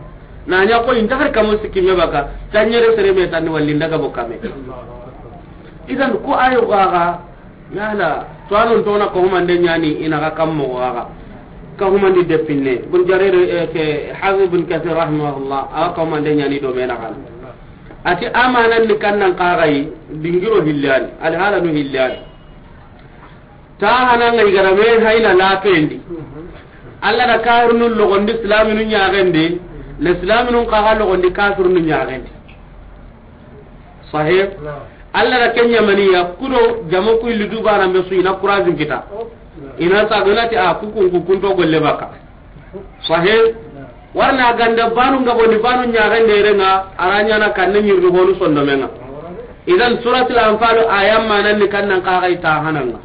Na ɲa ko inta har kamo sikki me baka, tanyere sere me tanni walli ndaga bo kame. Idan ko ayo gaga, yala, to anon to na ko humande ɲani ina ga kammo gaga. Ka humandi depinne. Bun Jarir, eh, ke Hafiz bin Kathir rahimahullah, a ka humande ɲani do mena kan. Ati amanan ni kannan kagai, dingiro hillani, alhalanu hillani. Ta hana ngai garame haina lapendi. Allah da kafirunu logondi, silaminu ɲagendi, na silaminu kaga logondi, kafirunu ɲagendi. Sahih? Naam. Allah da kenya maniya, kudo jamo ku illi dubana me su ina kurazin kita. Oh, naam. Ina sa donati a kukun kukun to golle baka. Sahih? Naam. Warna ganda banu ngaboni banu ɲagende renga, aranya na kanne nyirdu honu sondomenga. Idan suratul Anfal ayam manan ni kannan kagai ta hananga.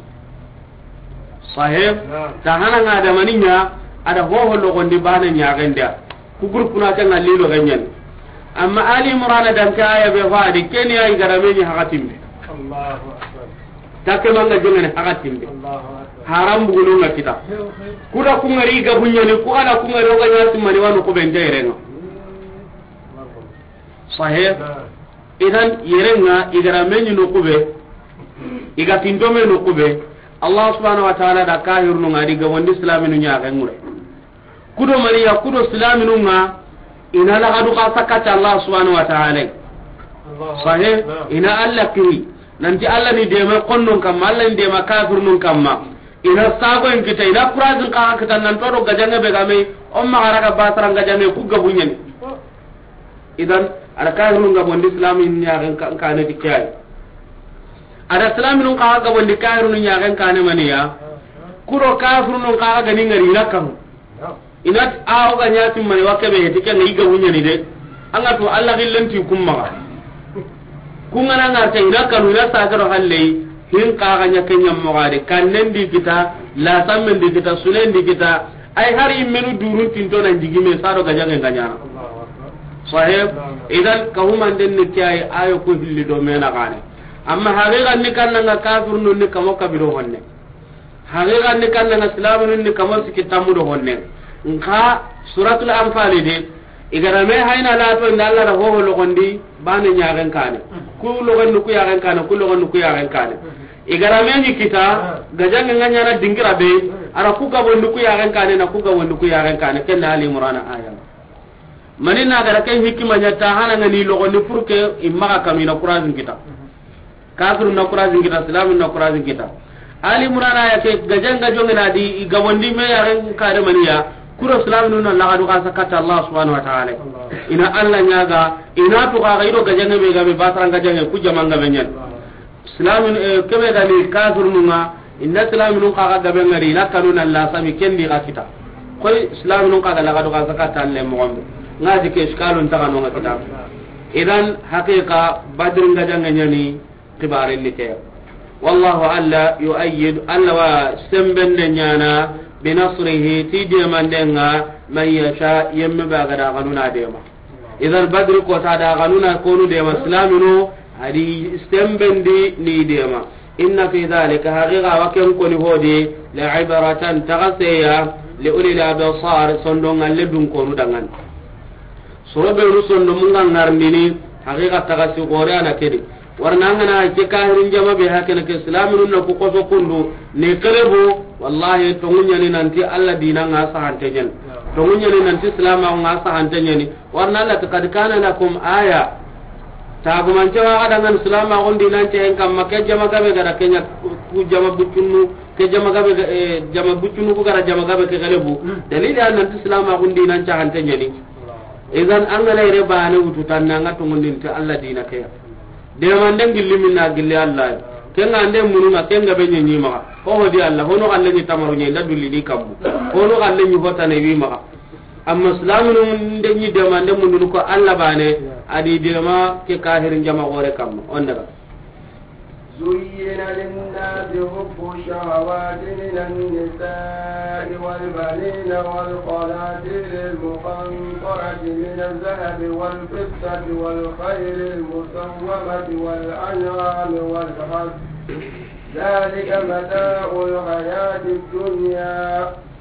Sahih? Naam. Ta hananga da maniya, ada hoho logondi bana ɲagende. Ku groupe na ke ngalli lo ganyan. Amma Ali Imran dan ka aya be fadi, keni ay garame ni hakatimbe. Allahu Akbar. Take manga jongene hakatimbe. Allahu Akbar. Haram buguno nga kita. Kuda kungari ga bunyani, ku ada kungari o ga nyasi mani wanu ko bende renga. Sahih? Naam. Idan yerenga igara meni no kube, iga tintome no kube. Allah subhanahu wa ta'ala da kahirunu ngadi ga wandi islaminu ɲagengure. Kudo mariya, kudo silaminun ŋa, ina lagadu xa sakati Allah subhanahu wa ta'ala. Allahu Akbar. Sahih, ina Allah kiri. Nanti Allah ni dema konnon kamma, Allah ni dema kafirnun kamma. Ina sago en kita, ina kurazin xa kita nan todo gajange be game, o maxa raga basara gajange ku gabunyani. Idan, ada kafirnun gabondi silamin ɲaxen kane ti kiyai. Ada silaminun xa gabondi kafirnun ɲaxen kane maniya. Kudo kafirnun xa gani ngari ina kanu. Ina ti, a, o ga ɲa ti mani wa kebe heti, ke ŋa i ga wuɲani de. An ga to Allah gillen ti kun maxa. Kun ga na ŋa ta ina kanu, ina sa ga do halle, hin xa ga ɲa ke ɲa mo ga de, kannen di kita, la sammen di kita, sunen di kita, ay hari menu durun tinto nan jigime sa do gajange ga ɲana. Sahib, idan ka humanden ni kiyai ayo ko hilli do mena gane. Amma haqiqa ni kannanga kafirnun ni kamo kabiro honne. Haqiqa ni kannanga silaminun ni kamo siki tammu do honne. Nka Suratul Anfal de, igara me hayna lato inda Allah da hoho logondi, bane ɲaxen kane. Ku logondi ku yaxen kane, ku logondi ku yaxen kane. Igara me ni kita, gajange nga ɲana dingira be, ara ku gabondi ku yaxen kane, na ku gabondi ku yaxen kane, kenda Ali Imran aya. Mani na gara ken hikima ɲa ta hana ngani logondi pour que i maxa kanu ina kurazin kita. Kafirun na kurazin kita, silamin na kurazin kita. Ali Imran aya ke gajan gajonge na di i gabondi me yaxen kare maniya. Kuro silaminun na lagadu xa sakata Allah subhanahu wa ta'ala. Ina Allah ɲaga, ina to ga ido gajange be gabe basara gajange ku jamanga be ɲan. Silamin, eh, kebe gani kafirnun ŋa, inda silaminun xa ga gabe ngari, ina kanu na la sami kendi ga kita. Koy silaminun xa ga lagadu xa sakata le moxon be. Nga di ke iskalun ta kanu nga kita. Idan haqiqa Badr gajange ɲani kibaren ni ke. Wallahu alla yu'ayyid, Allah wa sembende ɲana bi nasrihi ti demandenga man yasha, yemme ba ga da ganuna dema. Idan Badri kota da ganuna konu dema silaminu, adi sembendi ni dema. Inna fi dhalika, haqiqa wa ken koni hodi, la ibratan, tagaseya, li ulil absar, sondongalle dun konu dangan. Soro be ru sondomunga ngarndini, haqiqa tagasi gore ana kedi. Warna ngana ke kahirin jama be hakene ke silaminu na ku koso kundu, ne kelebo, wallahi tongunyani nanti Allah dina nga sahante ɲani. Tongunyani nanti silama nga sahante ɲani. Warna Allah ta, "Qad kana lakum aya." Tagumance wa ga dangan silamaxun dinance hen kamma, ke jama gabe ga da ke ɲa ku jama buccunu, ke jama gabe ga, eh, jama buccunu ku ga da jama gabe ke gelebu. Dalili an nanti silamaxun dinance hante ɲani. Idan an ga na ire bane wutu tanna nga tongondin ti Allah dina ke ya. Demanden gilli minna gilli Allah. Ke nga ande mununga, ke nga be ɲeɲi maxa. Ho ho di Allah, hono galle ni tamaru ɲe, nda dulli ni kammu. Hono galle ni hotane wi maxa. Amma silaminu nde ɲi dema nde mundunu ko Allah bane, adi dema ke kahirin jama gore kamma. On daga. زين للناس حب الشهوات من النساء والبنين والقناطير المقنطرة من الذهب والفضة والخيل المسومة والأنعام والحرث، ذلك متاع الحياة الدنيا،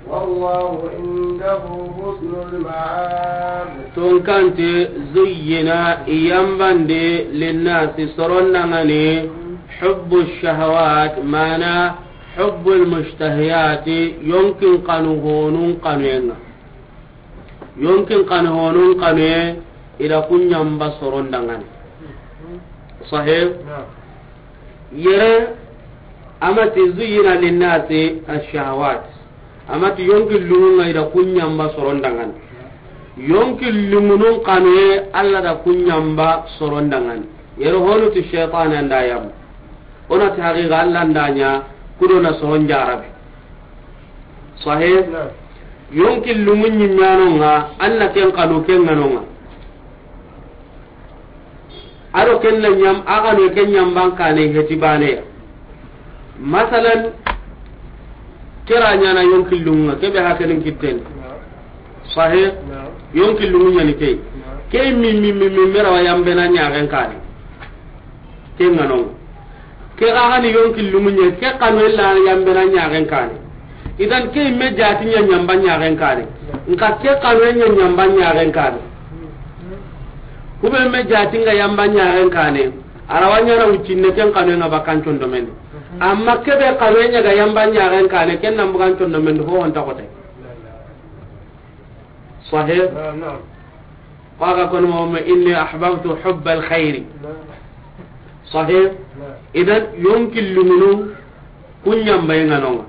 والله عنده حسن المآب. Tunkanti, zuyyina, i yambande, linnasi, soron dangani, hubbu shahawat, mana hubbu lmushtahiyati, yonkin kanu honun kanuyenga. Yonkin kanu honun kanuye, ida kunyamba soron dangani. Sahih? Naam. Yere, amati zuyyina linnasi ashahawat. Amati yonki lungunga ida kunyamba soron dangani. Yonki lungunun kanuye, Allah da kunyamba soron dangani. Yere honu ti shaytan anda yam. Ona ti haqiqa Allah ndanya, kudo na soron jarabi. Sahih? Naam. Yonki lungun nyimanonga, Allah ken kanu ken nganonga. Ado ken na nyam, a ga no ken nyamban kane heti baneya. Masalan, kera nyana yonki lunga, kebe hakenin kitten. Sahih? Yonki lungu nyani kei. Kei mi, mi, mi, mi, mera wa yambe na nyagen kane. Ken nganon. Ke ga gani yonki lungu nya, ke kanu ella yambe na nyagen kane. Idan ke me jati nya nyamba nyagen kane. Nka ke kanu nya nyamba nyagen kane. Kube me jati nga yamba nyagen kane. Arawanya na ucinne ken kanu nga bakan condo men. Amma kebe kanu nya ga yamba nyagen kane, ken nan bukan condo men ho on takote. Sahih? Naam, naam. Qaga kono mo, inni ahbabtu hubbal khairi. Naam. Sahih? Naam. Idan, yonki lungunun kun yambay nganonga.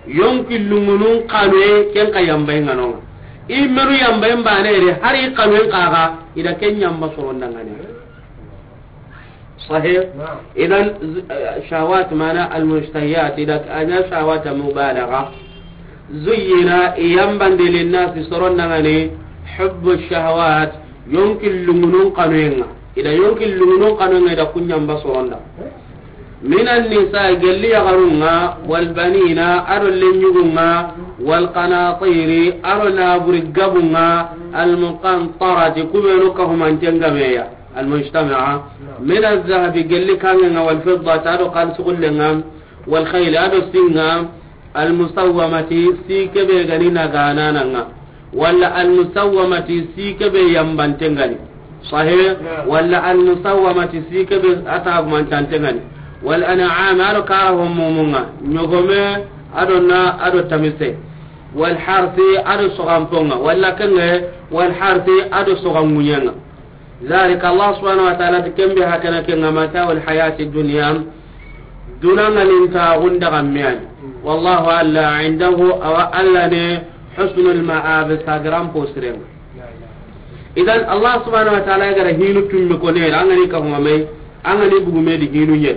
Yonki lungunun kanwe ken ka yambay nganonga. I menu yambay mbane re, hari kanwe kaga, ida ken yamba soron dangane. Sahih? Naam. Idan, z-, eh, shahawat mana al-mushtahiyat, ida anya shahawat mubalagha. Zuyyina, i yambande linnasi soron dangane, hubbu shahawat, yonki lungunun kanwenga. Ida yonki lungunun kanwenga, ida kun yamba soron da. Minan nisa, gelli yagarunga, wal banina, ado lenyugunga, wal qanatiri, ado naburi gabunga, al muqantarati, kubenu kahumanten gameya. Al mujtama'a. Naam. Min al zahabi, gelli kangenga, wal fiddati, ado kalsugullenga, wal khayli, ado singa, al musawwamati, si kebe gani naganananga. Wala al musawwamati, si kebe yambantengani. Sahih? Naam. Wala al musawwamati, si kebe atagumantantengani. Wal an'am, ado kara homumunga. Nyogome, ado na, ado tamise. Wal harsi, ado sogamponga. Wala kenge, wal harsi, ado sogangunyanga. Zalika, Allah subhanahu wa ta'ala ti ken be hakana ken ŋa mata'ul hayati dunya, duna ŋalinta gunda gammiyani. Wallahu, Alla, indahu, awa Alla ne, husnul ma'ab, sagiran posiren. Idan, Allah subhanahu wa ta'ala ya gara hinu tummi ko ne, an ga ni ka huma mai, an ga ni bugume di hinu ɲe.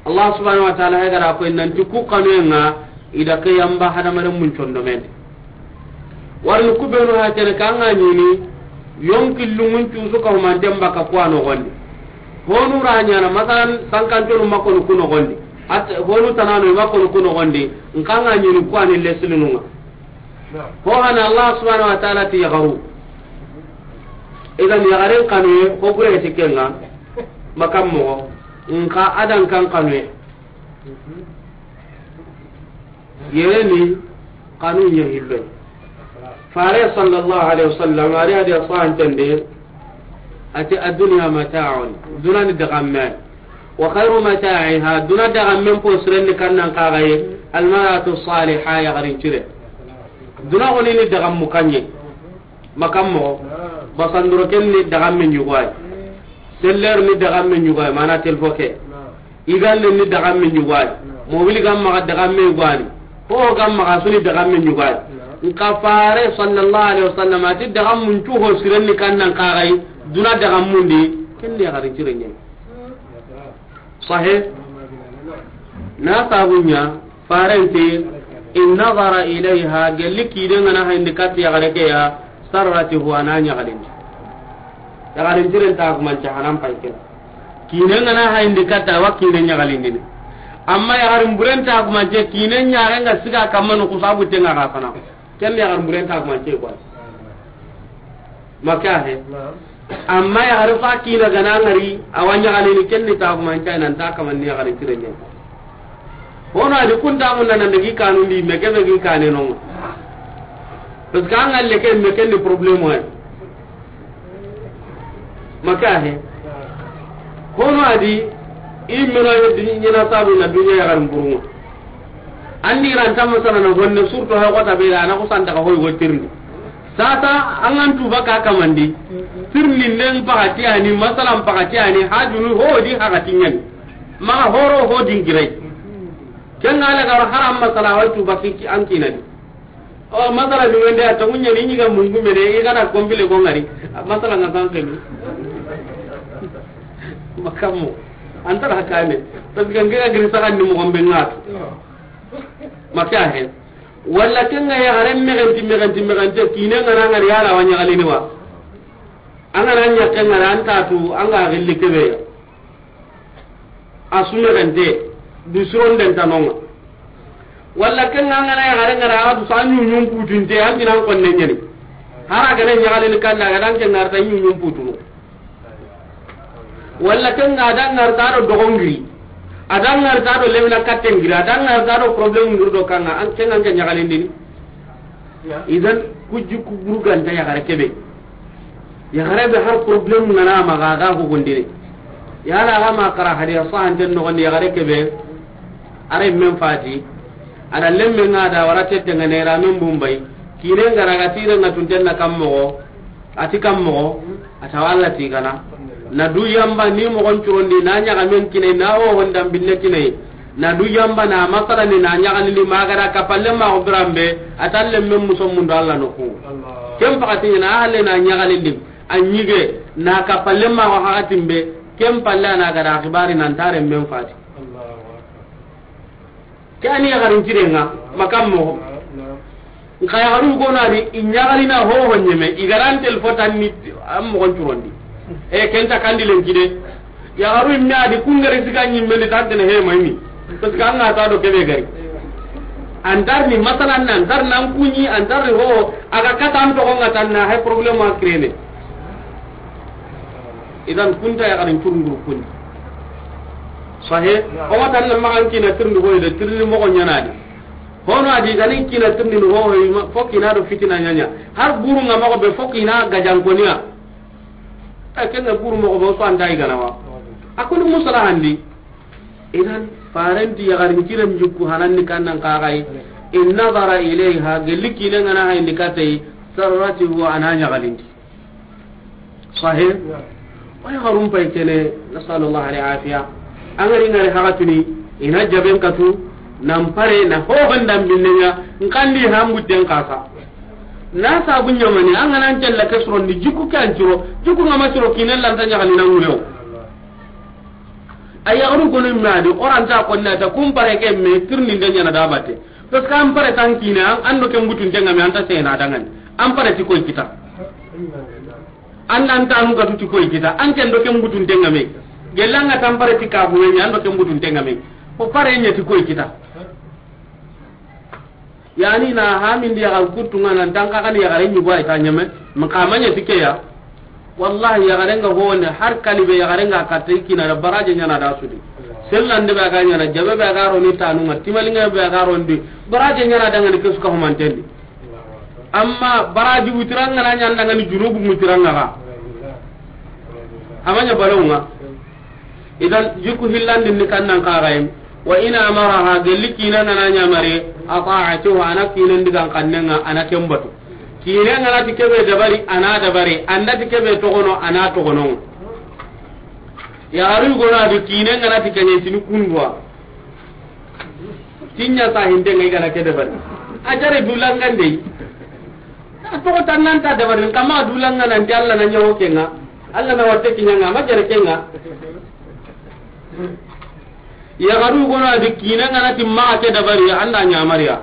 Allah subhanahu wa ta'ala ya gara ko nanti ku kanuyenga ida ke yamba hadamaren mun condomen. Warni ku benu ha tene kanga ɲini yonki lungun cusu ka humanten baka ku a nogondi. Honu ra ɲana, masalan, sankantonu makonu ku nogondi. At, honu tanano makonu ku nogondi. Nkanga ɲini ku ani leslinunga. Ho hana Allah subhanahu wa ta'ala ti yagaru. Idan yagaren kanuye, ko gure ti kenga, makam mogo, nka adan kan kanuye. Yereni kanu ɲa hillo. Fare sallallahu alaihi wasallam, ari hadi asan tende, ati ad-dunya mata'un, duna ni dagamme. Wa khairu mata'iha, duna dagammen po sirenni kannan kagaye, al-mar'atu salihah, yagarin cire. Duna goni ni dagammu kanye. Makam mogo. Basandoro ken ni dagamme ɲugoy. Seller ni dagamme ɲugoy, mana telfo ke. Igande ni dagamme ɲugoy. Mobili gamma ga dagamme ɲugani. Ho gamma ga suni dagamme ɲugoy. Nka fare sallallahu alaihi wasallam ati dagammun cu ho sirenni kannan kagaye, duna dagammundi, ken ni yagarin cire ɲe. Sahih? Na sabunya, farenti, in nazara ilayha, gelli kide ngana hayndi kat yagare ke ya, sarrati huwa na ɲagalindi. Yagarin ciren ta kuma ca hanan payke. Kine ngana hayndi kat wa kine ɲagalindini. Amma yagarin buren ta kuma ce kine ɲarenga siga kamanu kusabu tenga ga fana. Ken ni yagarin buren ta kuma ce kwa. Maka he. Amma yagare fa kina gana ngari, awa ɲagalini ken ni ta kuma ca nan ta kaman ni yagarin cire ɲe. Hono a di kunta mun na nan daga i kanundi me ke be gi kane no. Parce que an ga le ke me ke ni problème wa. Maka he. Hono a di i meno ye di ɲina sabu na duniya ya garin buruma. An di ran tamma sana na honne surtout ha kota be da na ko santa ka hoy wotirni. Sasa an ga ntu baka kamandi. Tirni nen pakati ani masalan pakati ani hajunu ho di hakati ɲani. Maxa horo ho dingirai. Ken ga la garo haram masala wa tu baki ki an kinadi. O masala ni wende a tamunya ni ɲiga mungu mene i gana kompile ko ngari. Masala nga san kemi. Makamo. Antara kane. Parce que ngira giri sakan ni mo gombe ngatu. Maka he. Walla ken ga ya haren megenti megenti megenti kine ngana ngari yala wanya galini wa. An ga na ɲa ken ngara an ta tu an ga gilli kebe ya. A su megente, du sironden tanonga. Walla ken ga ngana ya gare ngara a du sa ɲuɲun putinte, an tinan konne ɲani. Hara gane ɲagalini kanda ga dan ken ngarta ɲuɲun putunu. Walla ken ga dan ngarta do dogongiri. A dan ngarta do lemina kattengiri, a dan ngarta do problème ngiri do kanga, an ken ga ɲagalindini. Idan ku jikku burganta yaxare kebe. Yaxare be har problème ngana maxa ga ko gondire. Yala ga ma kara hadiya sahanten no gonde yaxare kebe. Are men fati. Ada lemme nga da wara tette ngane ra men bumbay. Kine ngara ga tire nga tunten na kam moxo. Ati kam moxo, a tawa Alla tigana. Na du yamba ni moxon curondi, na ɲaxamen kine, na hohon dambinne kine. Na du yamba na masala ni na ɲaxalindi magara kapalle maxo biranbe, a talle men muso mundo Alla noxu. Ken pakati ɲana a halle na ɲaxalindi, a ɲige, na kapalle maxo hakatimbe, ken palle a na gada xibari nan tare men fati. Ke ani yaxarin cirenga, makam moxo. Nxa yaxaru gono adi, i ɲaxalina hoho ɲeme, i garan telefo tanni an moxon curondi. E, ken ta kandi lenki de. Yaxaru imme adi, kungari siga ɲimmendi tantene he mayni. Parce que an ga ta do kebe gari. Antarni, masalan, antarni an kuɲi, antarni hoho, a ga kata an toxo nga tanna, he problème a créer ne. Idan kunta yaxarin curundur kundi. Sahe, o ma tan na maxa an kina tirindi hoyi de, tirindi moxo ɲana di. Hono adi gani kina tirindi ni hoho, fo kina do fitina ɲaɲa. Har buru nga moxo be fo kina gajankoniya. A ken nga buru moxo be o so anta i gana wa. A kuni musala handi. Idan farenti yaxarin kiren jukku hananni kannan kaxay. In nazara ilayha, gelli kine ngana hayndi katay, sarratihu, ana ɲaxalindi. Sahih. Way xarum pay kene, nasallallahu alaihi afiya. Angari ngari haxatuni, ina jaben katu, nan pare, na hohon dambinne ɲa, nkandi hambutten kasa. Na sabu ɲamani, an ga nan cella ke surondi, jikku ke an curo, jikku nga ma curo, kinen lanta ɲaxali na ŋurew. A yaxaru gono me adi, oranta konna ta, kun pare ke me, tirni nde ɲana da batte. Parce que an pare tan kine, an, an do ken butunte nga me, anta sena dangani. An pare ti koy kita. An nan tanu katu ti koy kita. An ken do ken butunte nga me. Gelanga tan pare ti kabu me, an do ken butunte nga me. O pare ɲa ti koy kita. Yani na hamindi yaxar kuttu nga nan tan ka kan yaxare ɲugo ay ta ɲeme. Maka manya ti ke ya. Wallahi, yaxare nga honde, har kalibe yaxare nga katta i kina da baraje ɲana da sudi. Sellande be ga ɲana, jabe be ga roni tanu nga, timalinga be ga rondi, baraje ɲana da ngani kesu ka humantendi. Amma baraji wutiranga na ɲanda ngani junubu wutiranga ga. Amanya balonga. Idan, jikku hillandin ni kannan kaxayen. Wa in amaraha, gelli kina ngana ɲamari, ata'atuhu, ana kinen digan kannenga, ana ken batu. Kine ngana ti kebe dabari, ana dabari, anda ti kebe togono, ana togono. Yaxaru gono adi kine ngana ti kene tini kundwa. Tinya sa hinde ngai gana ke dabari. A jare dulangande. A togo tannanta dabari, kama dulanga nan ti Alla na ɲawo kenga. Alla na watte kiɲanga, ma jare kenga. Yaxaru gono adi kine ngana ti maxa ke dabari, anda ɲamariya.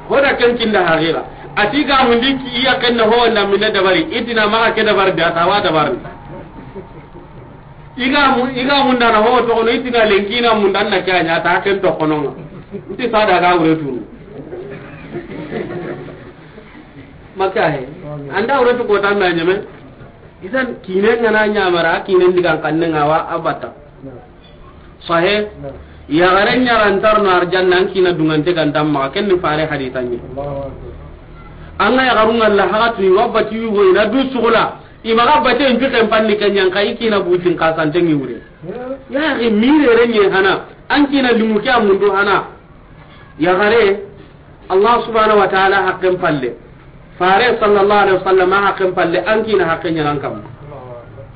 Hoda ken kinda haqiqa. Ati ga mundi ki iya kenna ho nda mine dabari, itina maxa ke dabari da tawa dabari. Iga mu, iga mundana ho togono, itina lenkina mundanna kanya ta ken tokononga. Nti sada ga wure tunu. Maka he. Anda wure tu ko tan na ɲeme. Idan kine ngana ɲamara, kine ndigan kanne ngawa abata. Sahe. Yaxare ɲarantarno arjanna, an kiina dungante ga nta maxa, ken ni fare hadisa ɲi. An ga yaxarun ŋalla haxatuni, wa bati yugo i na du sugula, i maxa bate nju ken panni ken ɲa nka, i kiina butin ka sante ŋi wure. Yaxi mire re ɲe hana, an kiina limu ke a mundu hana. Yaxare, Allah subhanahu wa ta'ala haqqen palle, fare sallallahu alaihi wasallam haqqen palle, an kiina haqqen ɲanan kam.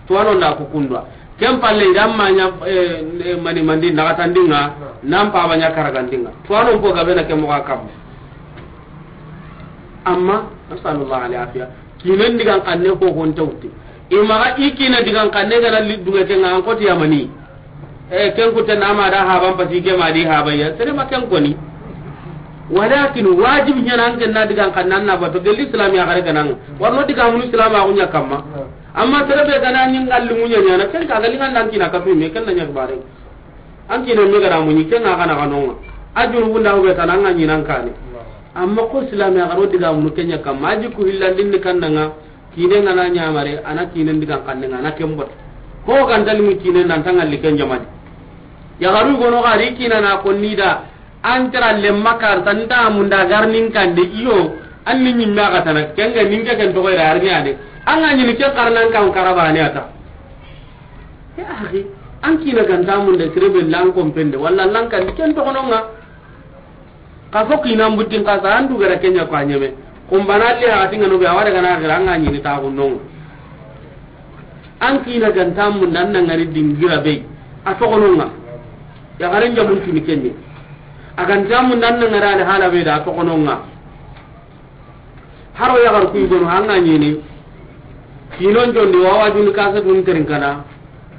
Tuwano nda ku kundwa. Ken palle, i da ma ɲa, eh, eh, mani mandi naxatandinga, nan paba ɲa karagandinga. Tuwano mpo gabe na ke moxa kam. Amma, nasallallahu alaihi afiya. Kiinen digan xanne ko hon tawti. I maxa i kiina digan xanne ga na li dunga ke ŋa an koti yamani. E, ken kutte na ma da haban pasi ke ma di habaya. Sere ma ken koni. Walakin wajib ɲana an ken na digan xanne an na bato gelli islam yaxare ga na ŋa. Warno diga munu islam a gunya kamma. Amma sere be ga na ɲi ŋalli munya ɲana ken ka ga li ŋa nan kiina ka tu me ken na ɲa bare. An kiina me ga da muɲi ken ŋa ga na ga no ŋa. A junubun da ho be ta na ŋa ɲi nan kane. Amma ko islam yaxaro diga munu ken ɲa kamma. A ji ku hillandin ni kan na ŋa. Kiinen ga na ɲamare, a na kiinen digan xanne ŋa, a na ken bot. Ko kan tali mu kiinen nan ta ŋalli ken jamani. Yaxaru gono ga ri kiina na konni da, an tara lemma kar tan ta munda garnin kande iyo, an ni ɲimme ga tana, ken ga ninke ken toxo ira arni ade. An ga ɲini ke karnan kan karabane ata. Ya akhi, an kiina ga nta munda sirebe lan kompende, walla lan kan ken toxo no ŋa. Xa fo kiinan buttin xa sa, an du gara ken ɲa ko a ɲeme. Kumbana li haxati ŋa no be, a wa daga na xira, an ga ɲini ta xunnon ŋa. An kiina ga nta munda an na ŋari dingira be, a toxono ŋa. Yaxaren jamun tuni ken ɲi. A ga nta munda an na ŋari ali hala be da, a toxono ŋa. Haro yaxar kuy gono, an ga ɲini. Kiinon jondi, wa wa juni kasa dun terin kana.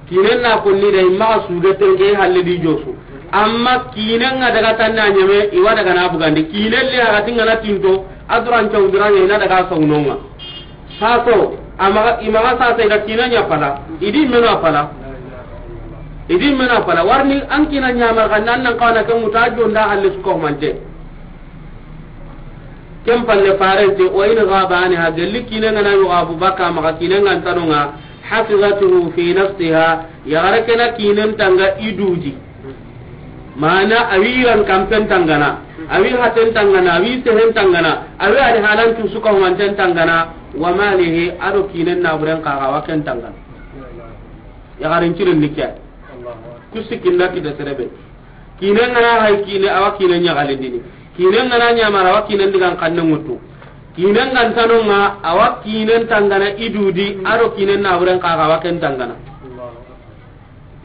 Kiinen na konni da i maxa suge tenke halle di josu. Amma kiinen ŋa daga tanna ɲeme, i wa daga na bugandi. Kiinen le haxati ŋa na tinto, a duran caw duran ɲa i na daga sawunon ŋa. Saso, a maxa, i maxa sasa i da kiinen ɲa pala. I di meno a pala. I di meno a pala. Warni an kiina ɲamar xa nan nan xawana ke ŋuta jonda halle su ko mante. Ken palle farente, wa in ghaba anha, gelli kiinen ga na yugo a bu baka maxa kiinen ga ntano ŋa, hafizatuhu fi nafsiha, yaxare ke na kiinen tanga i du di. Mana a wi yiran kampen tangana, a wi haten tangana, a wi sehen tangana, a wi a ri halan tu su ka humanten tangana, wa malihi, a do kiinen na buren xa ga wa ken tangana. Yaxaren ciren ni ke. Kusi kinda kita serebe. Kiinen ga na hay kiine, a wa kiinen ɲaxalindini. Kiinen ga na ɲamara, a wa kiinen digan xanne ŋutu. Kiinen ga ntano ŋa, a wa kiinen tangana i du di, a do kiinen na buren xa ga wa ken tangana.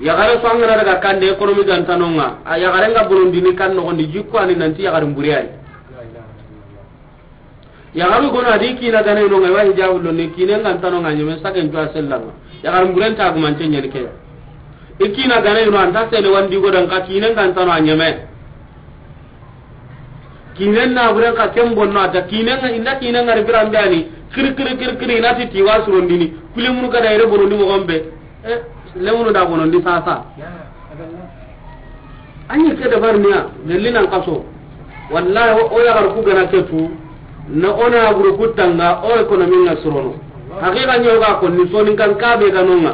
Yaxare so an ga na daga kande économie ga ntano ŋa, a yaxaren ga bonondini kan noxondi jikko ani nanti yaxaren bure ay. Yaxaru gono a di kiina gana ino ŋa, i wa hijabu lonni, kiinen ga ntano ŋa ɲeme, saken cuwa sellan ŋa. Yaxarin buren ta gumante ɲani ke ya. I kiina gana ino, an ta sene wandi godan ka kiinen ga ntano a ɲeme. Kiinen na buren ka ken bonno a ta kiinen ŋa, inda kiinen ŋa ri biran be ani, kiri, kiri, kiri, kiri, i na ti ti wa surondini, kuli munu gada yere bonondi moxon be. Eh, lemunu da bonondi sasa. An yi ke dabar niya, gelli nan kaso. Wallahi, o, o yaxar ku gana ke tu, na o na buru ku tanga, o économie ŋa surono. Haqiqa ɲo ga konni, soninkan ka be ga no ŋa.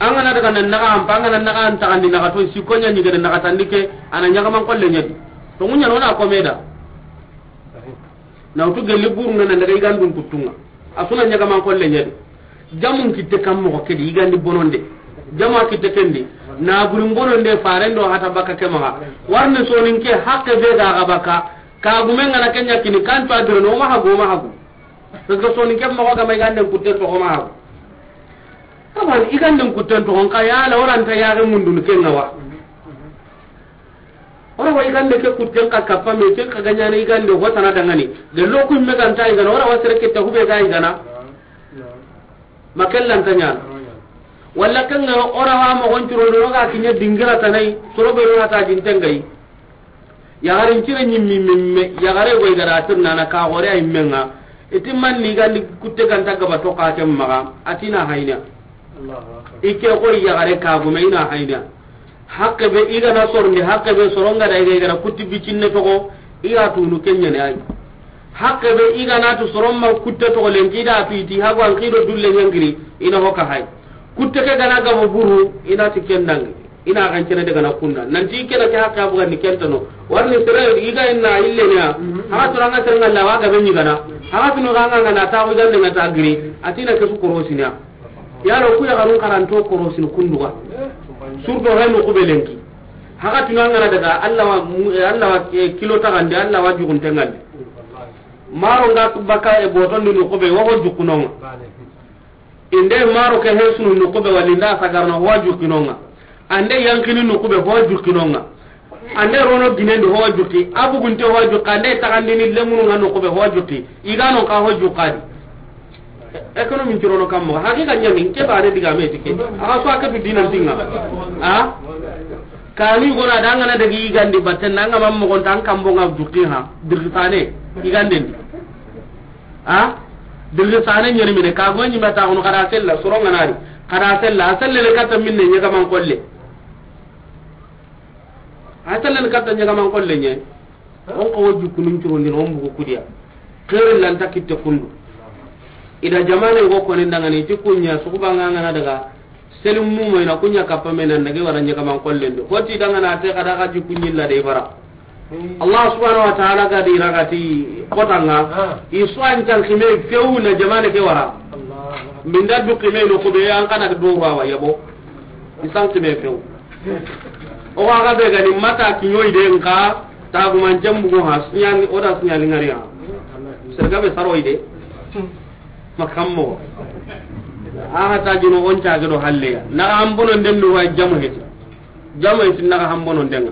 An ga na daga nan naxa ampa, an ga na naxa an taxandi naxa to, si ko ɲa ɲi gede naxa tandi ke, a na ɲaxaman xolle ɲa di. To ŋu ɲa no na kome da. Na wutu gelli buru ŋa na daga i gandun kuttu ŋa. A su na ɲaxaman xolle ɲa di. Jamun kitte kam moxo ke di, i gandi bononde. Jama kitte ken di. Na burin bononde, faren do hata baka ke maxa. Warni soninke haqqe be ga ga baka. Ka gumen ga na ken ɲa kini, kan to a diro no ma hagu, ma hagu. Parce que soninke moxo ga ma i ganden kutten toxo ma hagu. Kaban i ganden kutten toxo, nka ya la waranta yaxe mundun ken ŋa wa. Ora wa i gande ke kutten ka kappa me, ken ka ga ɲana i gande ho tana dangani. Gello ku me ganta i gana, ora wa sere ke ta hube ga i gana. Ma kellan ta ɲana. Walla ken ŋa ora wa moxon curo do ga kiɲe dingira tanai, soro be no ta din tengai. Yaxarin cire ɲimmi mimme, yaxare goy gada tirnana ka gore ay menga. Iti manni gandi kutte ganta gaba to ka ken maxa, atina hayna. Allahu akbar. Ike koy yaxare ka gume ina hayna. Haqqe be i gana sorondi, haqqe be soronga da i ga i gana kutti bicinne toxo, i ga tunu ken ɲa ni ay. Haqqe be i gana tu soron ma kutte toxo lenki da tu iti hagu an kido dulle ɲangiri, ina hoka hay. Kutte ke gana gabo buru, ina ti ken dangi. I na xancene daga na kunda. Nanti ke na ke haqqe a bugandi ken tano. Warni sere i ga inna ille ne ya. Haxa tuna ŋa sere ŋa la wa ga be ɲi gana. Haxa tunu ga ŋa ŋa na ta xo i gande ŋa ta giri. A ti na ke su korosini ya. Yalo ku yaxarun karanto korosini kunduga. Surtout hay no ku be lenki. Haxa tuna ŋa na daga Allah wa, Allah wa, eh, kilo taxandi, Allah wa jugunte ŋalli. Maro nga baka e botondi no ku be wo ko jukunonga. Inde maro ke hesunu no ku be wali nda sagarno wa jukinonga. Ande yankini no ku be ho jukinonga. Ande rono ginendi ho juki. Abugunte ho juki. Ande taxandini lemunu nga no ku be ho juki. I ga no ka ho jukadi. Économie ncurono kammo. Haqiqa ɲani, ke bare diga me tike. Axa so aka tu dinan tinga. A? Kanu gona da ngana dagi gandi batten nga mam mo gonta an kambo nga juki ha. Dirgi sane. I ganden. A? Dirgi sane ɲani mine. Ka go ɲi mata kono kada sella, soro ngana ri. Kada sella, a selle le kata minne ɲega man kolle. A selle le kata ɲega man kolle ɲe. On ko wo jukunun curondin, on bugu kudiya. Xeerin lanta kitte kundu. Ida jamane go konin dangani, ti kunya, suguba nga ngana daga, selim mumo ina kunya kappa me nan dage wara ɲega man kollen do. Hoti dangana te kada ga jukunyi la de bara. Allah subhanahu wa ta'ala ga di ragati kotanga, i so an tan kime few na jamane ke wara. Min da du kime no ko be an kana do wa yabo. I san kime few. O ga ga be gani mata kiɲoy de nka, taguman jambugo ha, siɲani, o da siɲani ngari ha. Serga be saroy de. Makammo. Aha ta jino on ta do halle ya. Na ga hambono nden do wa jamu heti. Jamu heti na ga hambono nden.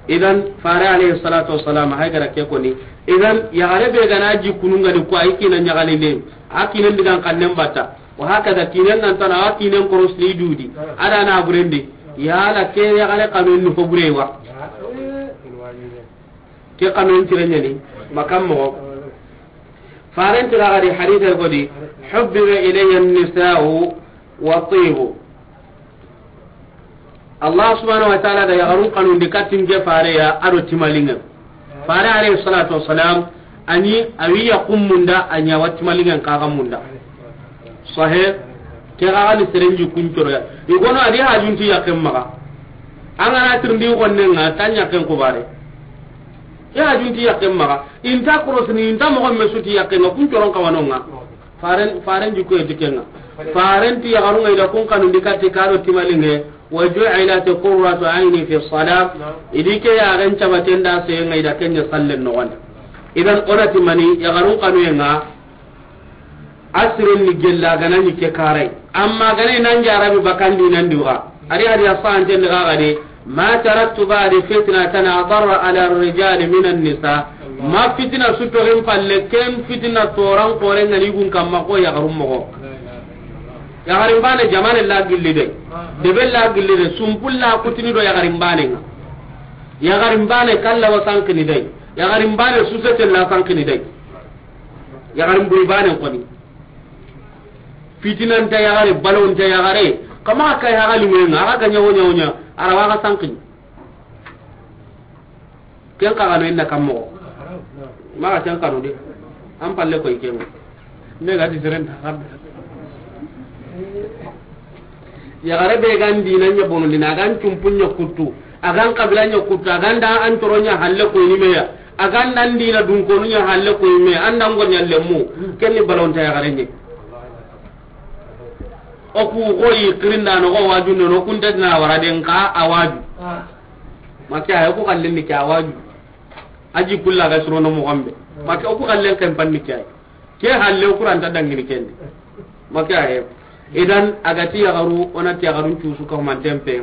Idan, fare alayhi salatu wassalam, hay gara ke koni. Idan, yaxare be gana ji kununga ni ko ay kina ɲaxalinde. A kinen digan kannen batta. Wa hakaza kinen nan tana, a kinen koros ni dudi. Ada na burendi. Yala ke yaxare kanun ni fo bure wa. Ke kanun tirenyani. Makam mo. Faren tira gadi hadith ko di. Hubbiba ilayya an-nisa'u wa tibu. Allah subhanahu wa ta'ala da yaxarun kanundi katin ke fare ya ado timalinga. Fare alayhi salatu wassalam, ani awi ya kummunda, anya wa timalinga kaga munda. Sahih, ke ga ni serenji kuncoro ya. Igono adi hajunti yakem maga. Angana tirndi gonne nga tanya ken ko bare. Ke hajunti yakem maga. Inta korosini, inta mogon mesuti yakem nga kuncoron kawanonga. Faren, faren jikko e dikenga. Faren ti yaxarunga ida kun kanundi kati karo timalinge. Wa ju'ilat qurratu ayni fi salat. Idi ke yaxen cabaten da se nga ida kenya sallen no wanda. Idan ona timani yaxarun kanuyenga. Asiren ni gella gana ni ke karai. Amma gana nan jarabi bakandi nan diwa. Ari hari asan ten daga gade. Ma taraktu ba'di fitnatan adarra ala ar-rijali min an-nisa. Ma fitina su toxin palle ken fitina toran koren ngani gun kamma ko yaxarum mogo. Yaxarin bane jamane la gilli de. Debe la gilli de, sumpul la kutini do yaxarin bane nga. Yaxarin bane kalla wa sankini de. Yaxarin bane susete la sankini de. Yaxarin buri bane koni. Fitinanta yaxare, balonta yaxare. Kama kay haxali ŋoyenga, axa ga ɲa wo ɲa wo ɲa, a ra wa xa sanqini. Ken xa gano inna kam moxo. Maxa ken xanu de. An palle koy ken. Me ga ti seren ta xarde. Yaxare be gan dina ɲa bono dina, a gan cumpu ɲa kuttu, a gan kabila ɲa kuttu, a gan da an toro ɲa halle koyni meya, a gan dan dina dunkonu ɲa halle koyni meya, an dan go ɲa lemmu, ken ni balonta yaxare ɲe. O ku xoyi kirindano xo wajunde no kunta dina wara den ka a waju. Make ay o ku xallen ni ke a waju. Aji kulla ga surono moxon be. Make o ku xallen ken panni ke ay. Ke halle o kuranta dangini kendi. Make ay. Idan a ga ti yaxaru, o na ti yaxarun cusu ka humanten pe.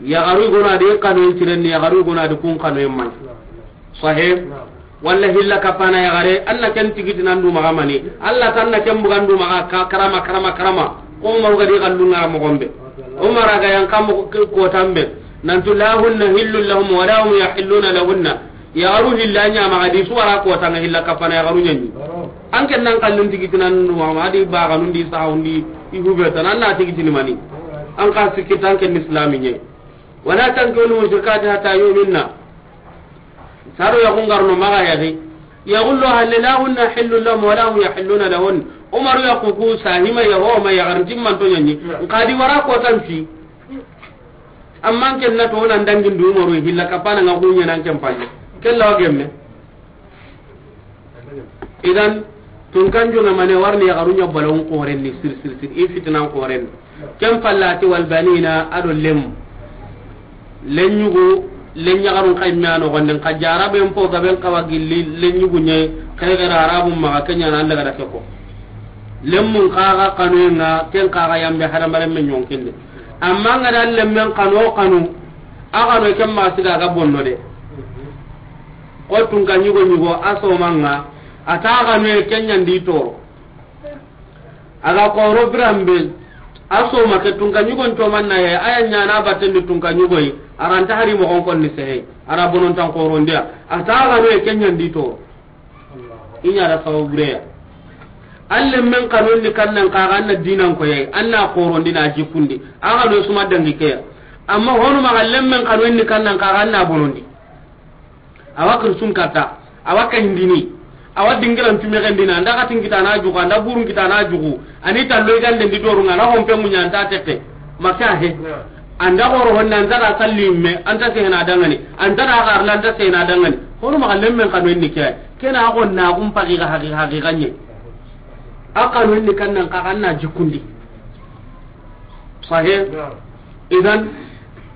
Yaxaru gona de kanu tirenni, yaxaru gona de kun kanu man. Sahih. Walla hilla kapana yaxare, an na ken tigiti nan du maxa mani. Allah tan na ken bugan du maxa ka karama, karama, karama. Ko Umar ga di kallunga moxon be. Umar ga yan kam ko tambe. Nantu la hunna hillul lahum wa la hum yahilluna lahunna. Yaxaru hilla ɲa maxa di su wara kotanga hilla kapana yaxaru ɲani. An ken nan kallun tigiti nan du maxa ma di baganun di sawundi i hubeta nan na tigitini mani. An ka sikki tan ken islami ɲe. Wala tankihul mushrikati hatta yu'minna. Saro yaxun garno maxa yaxi. Yaxullo halle la hunna hillul lahum wa la hum yahilluna lahun. Umaru yaxu ku sahima ya ho ma yaxarin timman to ɲani. Nka di wara kotan fi. Amma ken na to nan dangin du Umaru hilla kapana nga hunya nan ken palle. Kella wa gemme. Idan, tunkanju na mane warni ya garunya balon koren ni sir sir sir, i fitnan koren. Ken pallati wal banina ado lem. Lenyugo, lenya garun kayme ano gonden ka jaraben po gaben kawa gilli lenyugo nye, kay gara arabun maga kenya nan daga da keko. Lemmun kaga kanu nga, ken kaga yambe hadamaren men yonkinde. Amma nga da lemmen kanu kanu, a kanu ken ma siga ga bonno de. Ko tunka nyugo nyugo a somanga, a ta kanu e kenya ndi toro. A ga koro birambe, a soma ke tunka nyugon to manna ye, aya nyana batendi tunka nyugoyi, aranta hari mo gon konni sehe, ara bonon tan korondiya, a ta kanu e kenya ndi toro. I ɲa da sababu reya. An lemmen kanun ni kannan kaga an na dinan koyay, an na korondi na jikundi. A ga no suma dangi keya. Amma honu maga lemmen kanun ni kannan kaga an na bonondi. Awa kirsun kata, awa kahindini, awa dingiran tumexendina, an da katin kitana jugu, an da burun kitana jugu, ani tallo igande ndi dorunga, na hompe munya anta teke. Maka he. An da goro honna, an da ga salli me, anta sehena dangani, an da ga arla, anta sehena dangani. Honu maga lemmen kanu ni ke. Kena a gonna gum pagi ga hagi hagi ganye. A kanu ni kannan ka kanna jikundi. Sahe. Idan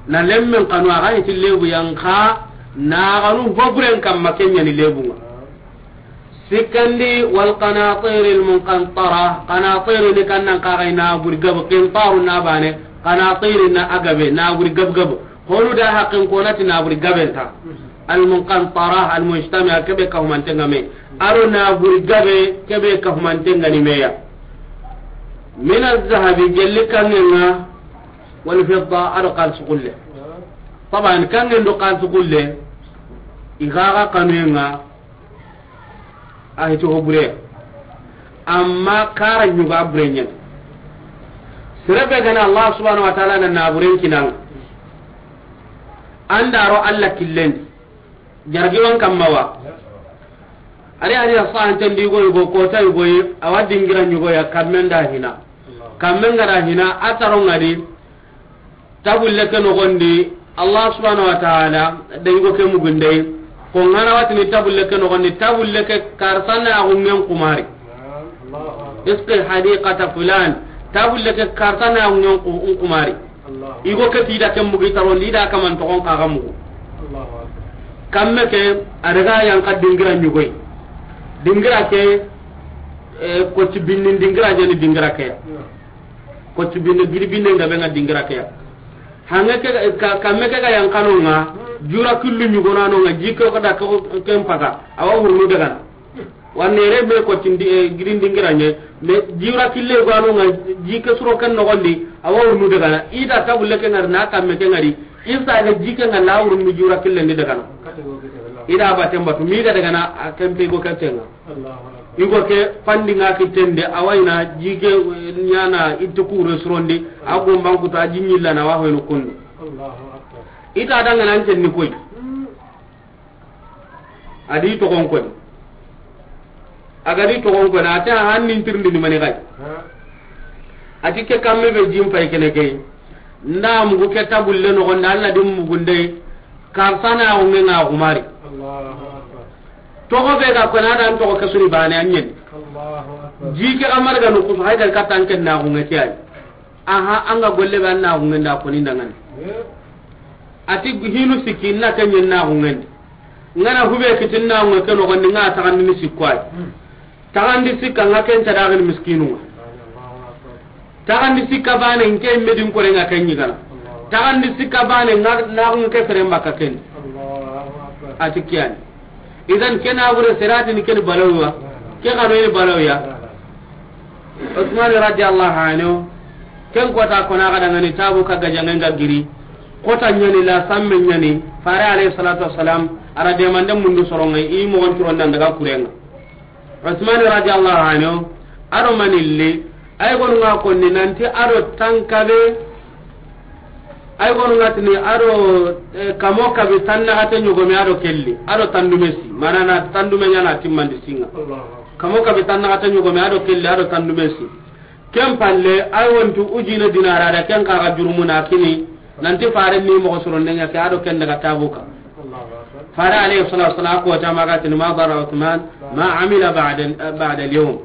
na lemmen kanu a ga hiti lebu yanka na ganu hoburen kamma kenya ni lebunga. Sikandi wal qanatir al munqantara, qanatir ni kannan ka ga na buri gab, qintaru na bane, qanatir na agabe na buri gab gab. Honu da haqqin konati na buri gabenta. Al munqantara al mujtami'a kebe ka humante ngame. Aro na buri gabe kebe ka humante ngani meya. Min al zahabi gelli kangenga wal fidda aro kalsu kulle. Taban kangen do kalsu kulle. Igaga kanuenga. A hiti ho bure. Amma kara ɲuga bure ɲen. Sere be gana Allah subhanahu wa ta'ala na naburen kinan. An da ro Allah killen. Jargi wan kamma wa. Ari ari sahan tan di go go ko tay go yi, awa dingira ɲugo ya kammen da hina. Kammen ga da hina a taro ngadi. Tabulle ke nogondi, Allah subhanahu wa ta'ala da yugo ke mugundey. Ko ngana watini tabulle ke nogondi, tabulle ke karsana ya gungen kumari. Isqi hadiqata fulan, tabulle ke karsana ya gungen ku-, kumari. Yugo ke tida ke mugi tarondi da kaman togon kaga mugu. Kamme ke a daga yanka dingira ɲugoy. Dingira ke, eh, ko ci binnin dingira jeni dingira ke. Ko ci binne giri binne nga be nga dingira ke ya. Hange ke ka, kamme ke ga yan kanu nga, jura killu ɲugo na no nga, jike ko da ko ken paga, awa wurnu daga na. Wanne re me ko tindi, eh, giri dingira ɲe, me jura kille go no nga, jike suro ken nogondi, awa wurnu daga na. Ida tabulle ke ngari na kamme ke ngari, isa ga jike nga la wurnu jura kille ndi daga na. Ida baten batu, mi ga daga na, a kempe go kempe nga. Yugo ke fandi nga kitende, awayna jike, eh, ɲana itte kure surondi, a gomban kuta, a jiɲilla na wa hoyno kundu. Ita danga nan tenni koy. Adi togon koy. Agadi togon koy, na ta hannin tirndi ni mani gay. Ati ke kamme be jim pay kene kay. Nda mugu ke tabulle nogondi, Alla dim mugunde. Karsana ya nge nga gumari. Togo be ga kona dan togo ke suri bane anyen. Jike amar ga no kusu hay ga katan ken na gunge tiyai. Aha, anga golle be an na gunge nda koni ndangani. Ati hinu siki na kenyen na gunge ndi. Ngana hube kitin na gunge ke nogondi nga tagandi ni sikwai. Tagandi sikka nga ken ta dagin miskinu nga. Tagandi sikka bane nke medin kore nga ken yigana. Tagandi sikka bane nga na gunge ke fere mbaka ken. Ati kiyani. Idan ke na gure sirati ni ken balawiya. Ke ga ni balawiya. Usman radiyallahu anhu. Ken kota kona ga dangani tabu ka gajangen ga giri. Kota ɲani la samme ɲani. Fare alayhi salatu wassalam. Ara demande mundu soronga i mo gon turon nan daga kurenga. Usman radiyallahu anhu, ado manille, ay gonu nga konni nanti ado tankabe, ay gonu nga tini ado, eh, kamo kabi tannaxate ɲogome ado kelli, ado tandumesi, mana na tandume ɲana timmandi singa. Kamo kabi tannaxate ɲogome ado kelli, ado tandumesi. Ken palle, ay wontu ujine dinara da ken kaga jurumuna kini, Nanti fare ni moxo soronde ɲa ke, a do ken daga Tabuka. Fare alayhi salatu wasalam ko ta maga tini ma darra Usman ma amila ba'da, ba'da al-yawm.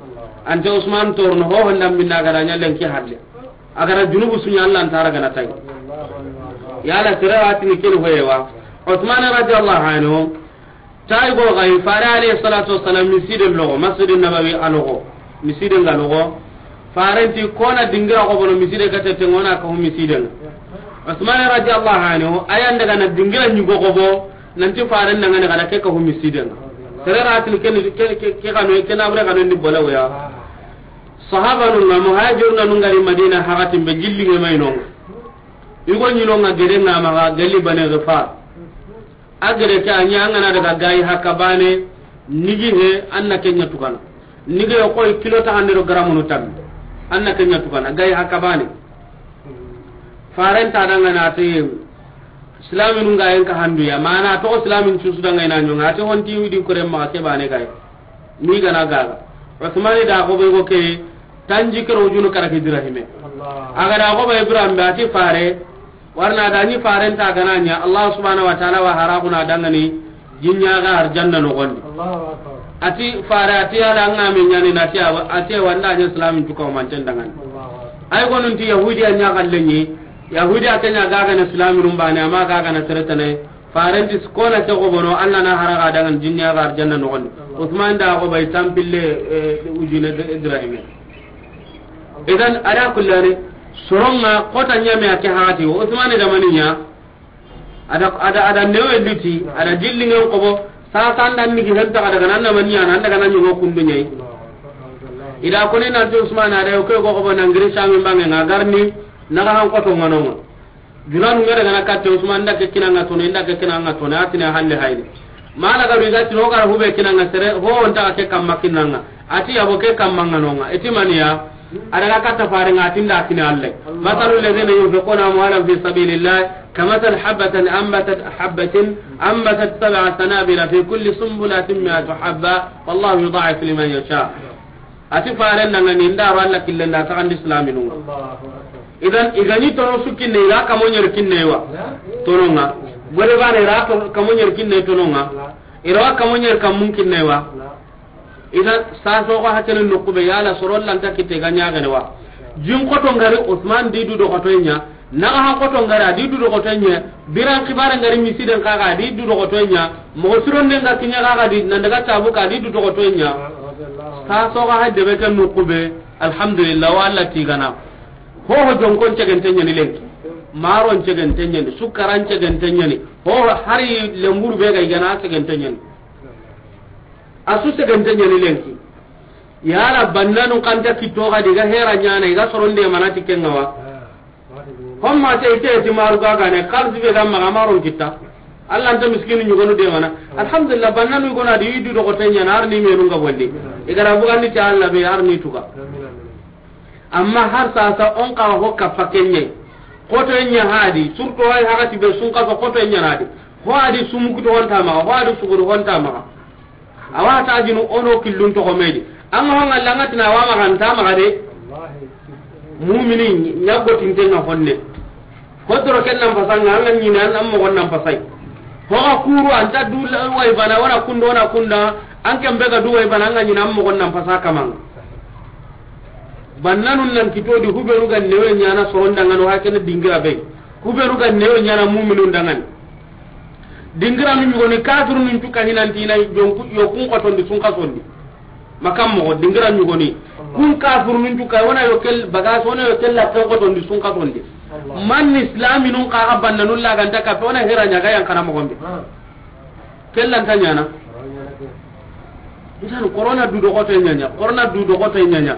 Anta Usman torno ho honda minna ga da ɲa lenki halle. A ga da junubu su ɲa Allah ntara gana tay. Yala sere wa tini ken hoyewa. Usman radiyallahu anhu, tay go ga yi, fare alayhi salatu wasalam miside logo, Masjidin Nabawi a logo, miside nga logo. Faren ti kona dingira ko bono miside ga tete ngona ka hu miside nga. Usman radiyallahu anhu, ayan daga na dingira ɲugo ko bo, nanti faren daga na ga da ke ka hu miside nga. Sere ra tini ken, ke, ke, ke kanu, ke na bure kanu ni bola ya. Sahabanun nga, muhajiruna nun ga ri Madina, hakatin be gilli nge may no nga. Igo ɲi no nga gere nga maga, gelli Bani Ghifar. A gere ke a ɲa an ga na daga gayi haka bane, nigi he, an na ken ɲa tugana. Nigi he koy kilo ta hande do garamunu tammi. An na ken ɲa tugana, gayi haka bane. Faren ta danga na te, Islaminu nga yen ka handu ya, mana to Islamin cusu danga ina ɲonga, ate honti widi kore ma ke bane gayi. Ni gana gaga. Usmani da ko be go ke tanji kero junu kara ki dirahime. A ga da ko be Ibrahim be ati fare, warna da ni faren ta gana ɲa, Allah subhanahu wa ta'ala wa hara kuna dangani jinya ga arjanna no gondi. Ati fare ati ala nga me ɲani na ti awa, ati wanda ɲa Islamin tuka o manten dangani. Ay gonun ti Yahudi anya kallenyi, Yahudi a kenya gaga na Islamin rumbane, ama gaga na seretane, Farenti kona ke go bono, Allah na haraga dangan jinni aga arjanna no gondi. Usman da go bay tampille, eh, ujine de Ibrahime. Idan, ala kullani, soronga kota ɲame ake hati, Usman da maniya, ada, ada, ada newe liti, ada dilli ngen kobo, sasa anda nigi henta kada gana na maniya, anda gana ɲugo kundu ɲai. Ida koni nanti Usman ada yo ke go kobo nangiri sami bange nga garni, naga han koto nganonga. Junanu ngere gana katte Usman, nda ke kinanga tono, nda ke kinanga tono, atine halle hayni. Mala garu iga tino gara hube kinanga sere, ho onta ke kamma kinanga. Ati yabo ke kamma nganonga. Eti maniya, adaga katta fare nga tinda kine alle. Masalu alladhina yunfiquna amwalahum fi sabilillah, kamathal habatin anbatat, habatin anbatat sab'a sanabila fi kulli sunbulatin mi'atu habba, wallahu yudha'ifu liman yasha. Ati faren dangani, nda ro Allah killen da taxandi islaminu. Idan, igani tono su kinne, ira kamo ɲer kinne wa. Tononga. Gore bane ira to, kamo ɲer kinne tononga. Ira wa kamo ɲer kamun kinne wa. Idan, sa so ko hakene nokube yala soron lanta kite ga ɲagene wa. Jin koto ngari Usman di du do koto ɲa. Naga han koto ngara di du dogoto ɲa, biran xibare ngari misiden kaga di du dogoto ɲa, mogo sironde nga kiɲa kaga di nan daga tabu ka di du dogoto ɲa. Sa soga ha debe ke nukube, alhamdulillah, wa Allah tigana. Ho ho jonkon cegente ɲani lenki. Maron cegente ɲani, sukaran cegente ɲani. Ho hari lemburu be ga igana cegente ɲani. Asu cegente ɲani lenki. Yala bannanu kanta kitto ga diga hera ɲana, iga soronde manati kenga wa. Homma te ite ti maru gaga ne, xalisi be ga maxa maron kitta. Allah nta miskini ɲugonu de mana. Alhamdulillah, bannanu gona di idu dogoto ɲana, arni menu nga bondi. Igara bugandi ta Allah be arni tuga. Amma har sasa on ka ho kappa kenye. Koto nya hadi, surtout hay hagati be sun kaso koto nya nadi. Ho adi sumuku to honta maxa, ho adi suguru honta maxa. Awa ta jinu ono killun to komedi. An ga hanga langa tina wa maxa nta maxa de. Mumini ɲago tinte na honne. Ko doro ken nan pasanga an ga ɲina an mo gon nan pasai. Ho ga kuru anta du way bana wana kundo na kunda, an ken be ga du way bana an ga ɲina an mo gon nan pasa kamang. Bannanun nan kitodi hubenu ga newe ɲana soronda ngano hakene dingira be. Hubenu ga newe ɲana muminun dangani. Dingira nu ɲugoni kafirunun cuka hinantina jonku yokun kotondi sun kasondi. Makam mogo dingira ɲugoni. Kun kafirunun cuka wona yokel bagas wona yokel la kotondi sun kasondi. Man islaminun kaga bannanun laganta kape wona hera ɲaga yan kana mogombe. Kellan ta ɲana. Idan corona du dogoto ɲaɲa, corona du dogoto ɲaɲa.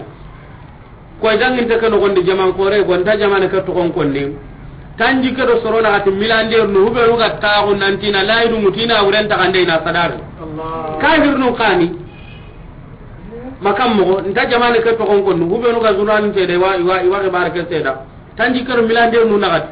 Koy danginte ke nogondi jaman kore, gonta jamane ke togon konni. Tanji ke do sorona gati milandir nu hubenu ga taxu nantina layidu mutina wuren taxande ina sadari. Kahirnu kani. Makam mogo, nta jamane ke togon konni, hubenu ga zurnalinte de wa, wa, wa xibare ke seda. Tanji ke do milandir nu naxati.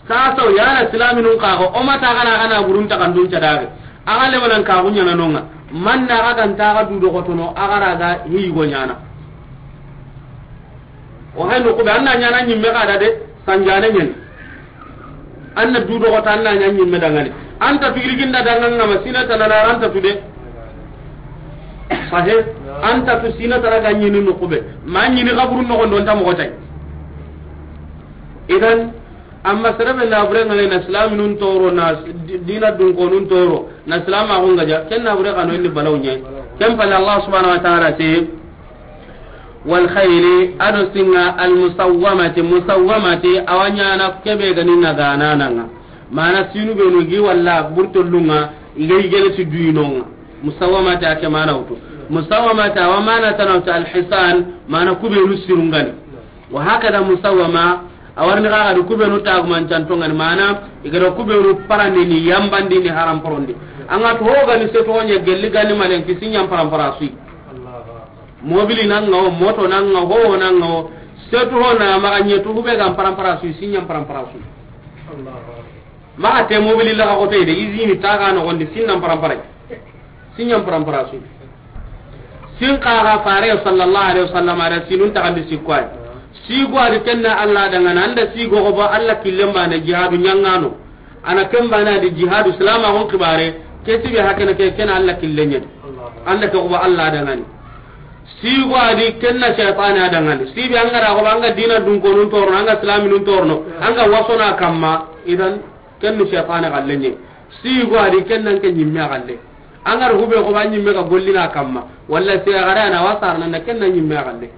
Sasa o yana silaminun kago, o mata gana gana burun ta kandun cadare. Aga le manan kagu ɲana nonga. Manna aga ganta aga du dogotono, aga raga higo ɲana. O hay noqu be, an na ɲaana ɲimme xa da de, sanjaane ɲaani. An na du doxota, an na ɲa ɲimme dangani. An ta tu yirginda danganga ma sina tana na an ta tu de. Sahe, an ta tu sina tana ga ɲini noqu be. Ma ɲini xaburu noxon do nta moxo tay. Idan, amma sere be na bure ŋa na silaaminun toro, na di-, diina dunkonun toro, na silaamaxun gaja, ken na bure xa no indi balaw ɲa. Ken palle Allah subhanahu wa ta'ala ti, wal khayli, a do sinŋa, al musawwamati, musawwamati, a wa ɲaana ke be ga ni na ganananga. Mana sinu be no gi walla burtollunŋa, i ga yigene ti duyinonŋa. Musawwamati a ke mana wutu. Musawwamati a wa mana tana wutu al hisan, mana ku be nu sirungani. Wa hakada musawwama, a wa ri ni xa ga di ku be nu tagumancantonŋani, mana i ga da ku be nu parandini, yambandini, haram porondi. An ga to ho ga ni seto ɲa gelli ga ni malen ki sinɲan parampara sui. Mobili nan ŋa wo, moto nan ŋa wo, ho nan ŋa wo. Setu ho na maxa ɲetu, hube ga parampara sui, sinɲan parampara sui. Maxa te mobili la ga xote de, izini ta ga noxon di, sinɲan parampara. Sinɲan parampara sui. Sin xa ga fare sallallahu alaihi wasallam a da sinun taxandi sikko ay. Sigo a di ken na Allah dangana, an da sigo go ba Allah killen bane jihadu ɲaŋano. A na ken bane a di jihadu, silaamaxun xibare, ke sibe hakene ke, ken na Allah killen ɲa. An da ke go ba Allah dangani. Sigo a di ken na shaytane a dangani. Sibe an ga da go ba an ga diina dunkonun torono, an ga silaaminun torono, an ga wasona kamma, idan ken ni shaytane xallen ɲa. Sigo a di ken nan ke ɲimme xalle. An ga da hube go ba ɲimme ga gollina kamma. Walla se ga da na wasar nan ken na ɲimme xalle.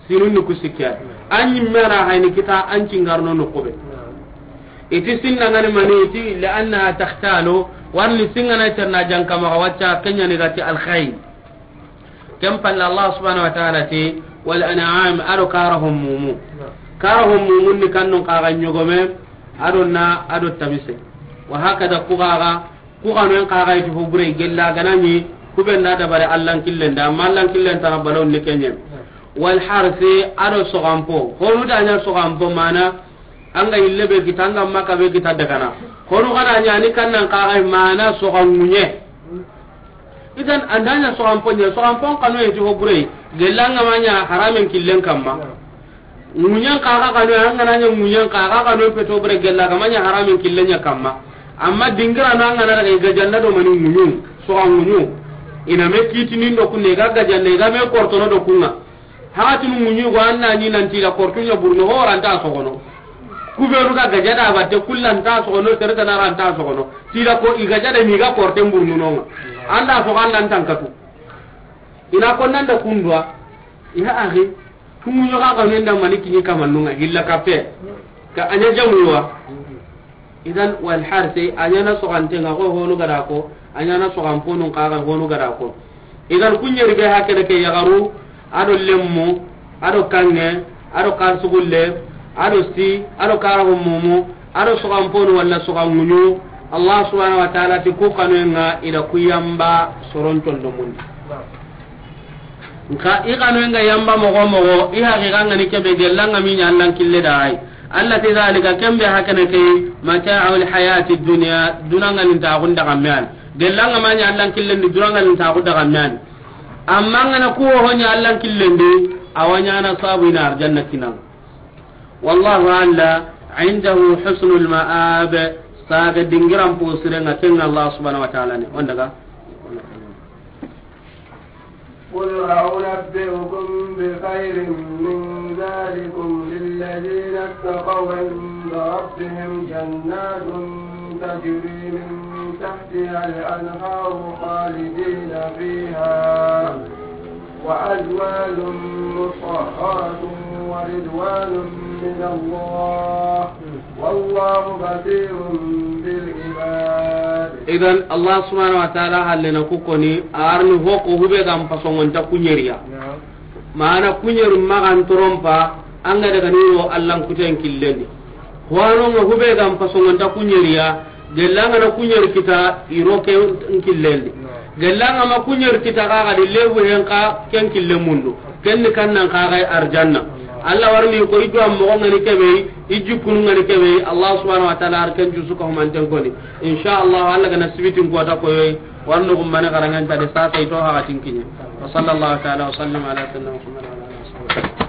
Sinun ni ku sikki ya. An ɲimme na hayni kita an cingarno noqu be. I ti sinna ŋa ni mani, i ti li annaha takhtalu, wa ri ni sinŋa na terna janka maxa wacca, ken ɲa ni ga ti al khayl. Ken palle Allah subhanahu wa ta'ala ti, wal an'am, a do kara ho mumu. Kara ho mumun ni kannun xa ga ɲogome, a do na, a do tabise. Wa hakada ku xa ga, ku xanoyen xa ga i ti ho bure, gella ga na ɲi ku be na dabari Allan killen da, amma Allan killen tana balaw ni ken ɲa. Wal harsi, a do soxanpo. Honu da ɲa soxanpo mana, an ga yille be kita, an ga maka be kita dagana. Honu ga da ɲa ni kannan xa ga mana soxan ŋuɲe. Idan an da ɲa soxanpo ɲa, soxanpon xanoye ti ho bure, gella an ga ma ɲa haramen killen kamma. Ŋuɲen xa ga xanoye, an ga na ɲa ŋuɲen xa ga xanoye peto bure gella ga ma ɲa haramen killen ɲa kamma. Amma dingira no an ga na daga i ga janda do mani ŋuɲu, soxan ŋuɲu. I na me kitinin do kunne, i ga ga janda, i ga me kortono do kunŋa. Hakatinu ŋuɲi go an na ɲi nan ti da kortu ɲa burno ho ra nta soxono. Ku be nu ga gaja da batte kullan nta soxono, sere tana ra nta soxono. Ti da ko i gaja da mi ga korten burnu no ŋa. An da soxo an nan tankatu. I na ko nan da kundwa. Ya akhi, ku ŋuɲo ga xanu nda mani kiɲi kamannun ŋa, hilla kappe. Ka a ɲa jamu wa. Idan wal harsi, a ɲaana soxanten ŋa, ko honu ga da ko, a ɲaana soxanponun xa ga honu ga da ko. Idan ku ɲeri be hakene ke yaxaru, a do lemmu, a do kanŋe, a do xarsugulle, a do si, a do kara ho mumu, a do soxanponu walla soxan ŋuɲu, Allah subhanahu wa ta'ala ti ku xanoyen ŋa i da ku yamba soron condomundi. Nka i xanoyen ga yamba moxo moxo, i haqiqa ŋa ni kebe gella an ga ma ɲa Allan kille da ay. Allah ti zalika, kembe hakene ke, mata'ul hayati dunya, duna ŋa ni ta xunda ga me an. Gella an ga ma ɲa Allan killen di, duna ŋa ni ta xunda ga me an. Amma an ga na ku ho ɲa Allan killen di, a wa ɲaana sabu i na arjanna kinan. Wallahu alla indahu husnul ma'ab, saga dingiran po siren ŋa ken Allah subhanahu wa ta'ala ne. On daga. قل أنبئكم بخير من ذلكم للذين اتقوا عند ربهم جنات تجري من تحتها الأنهار خالدين فيها وأزواج مطهرة ورضوان من الله والله بصير بالعباد. Idan, Allah subhanahu wa ta'ala halle na ku koni, a ri ni ho ko hube ga n pasongonta ku ɲeriya. Naam. Mana ku ɲeri maxa n toron pa, an ga daga ni ro Allan kuten killen di. Ho ano ŋa hube ga n pasongonta ku ɲeriya, gella an ga na ku ɲeri kita, i ro ke n killen di. Naam. Gella an ga ma ku ɲeri kita xa ga di lebu hen xa ken killen mundu. Ken ni kannan xa ga arjanna. Allah wa ri ni ko i do an moxo ŋa ni kebe, i jikkunu ŋa ni kebe, Allah subhanahu wa ta'ala a ri ken jusu ka humanten koni. Insha Allah, Allah ga na sibitin kota koyoyi, wa ri no gummane xaranŋen ta de sasa i to haxatin kiɲe. Wa sallallahu ta'ala wa sallim ala sayyidina Muhammad wa ala alihi wa sahbihi.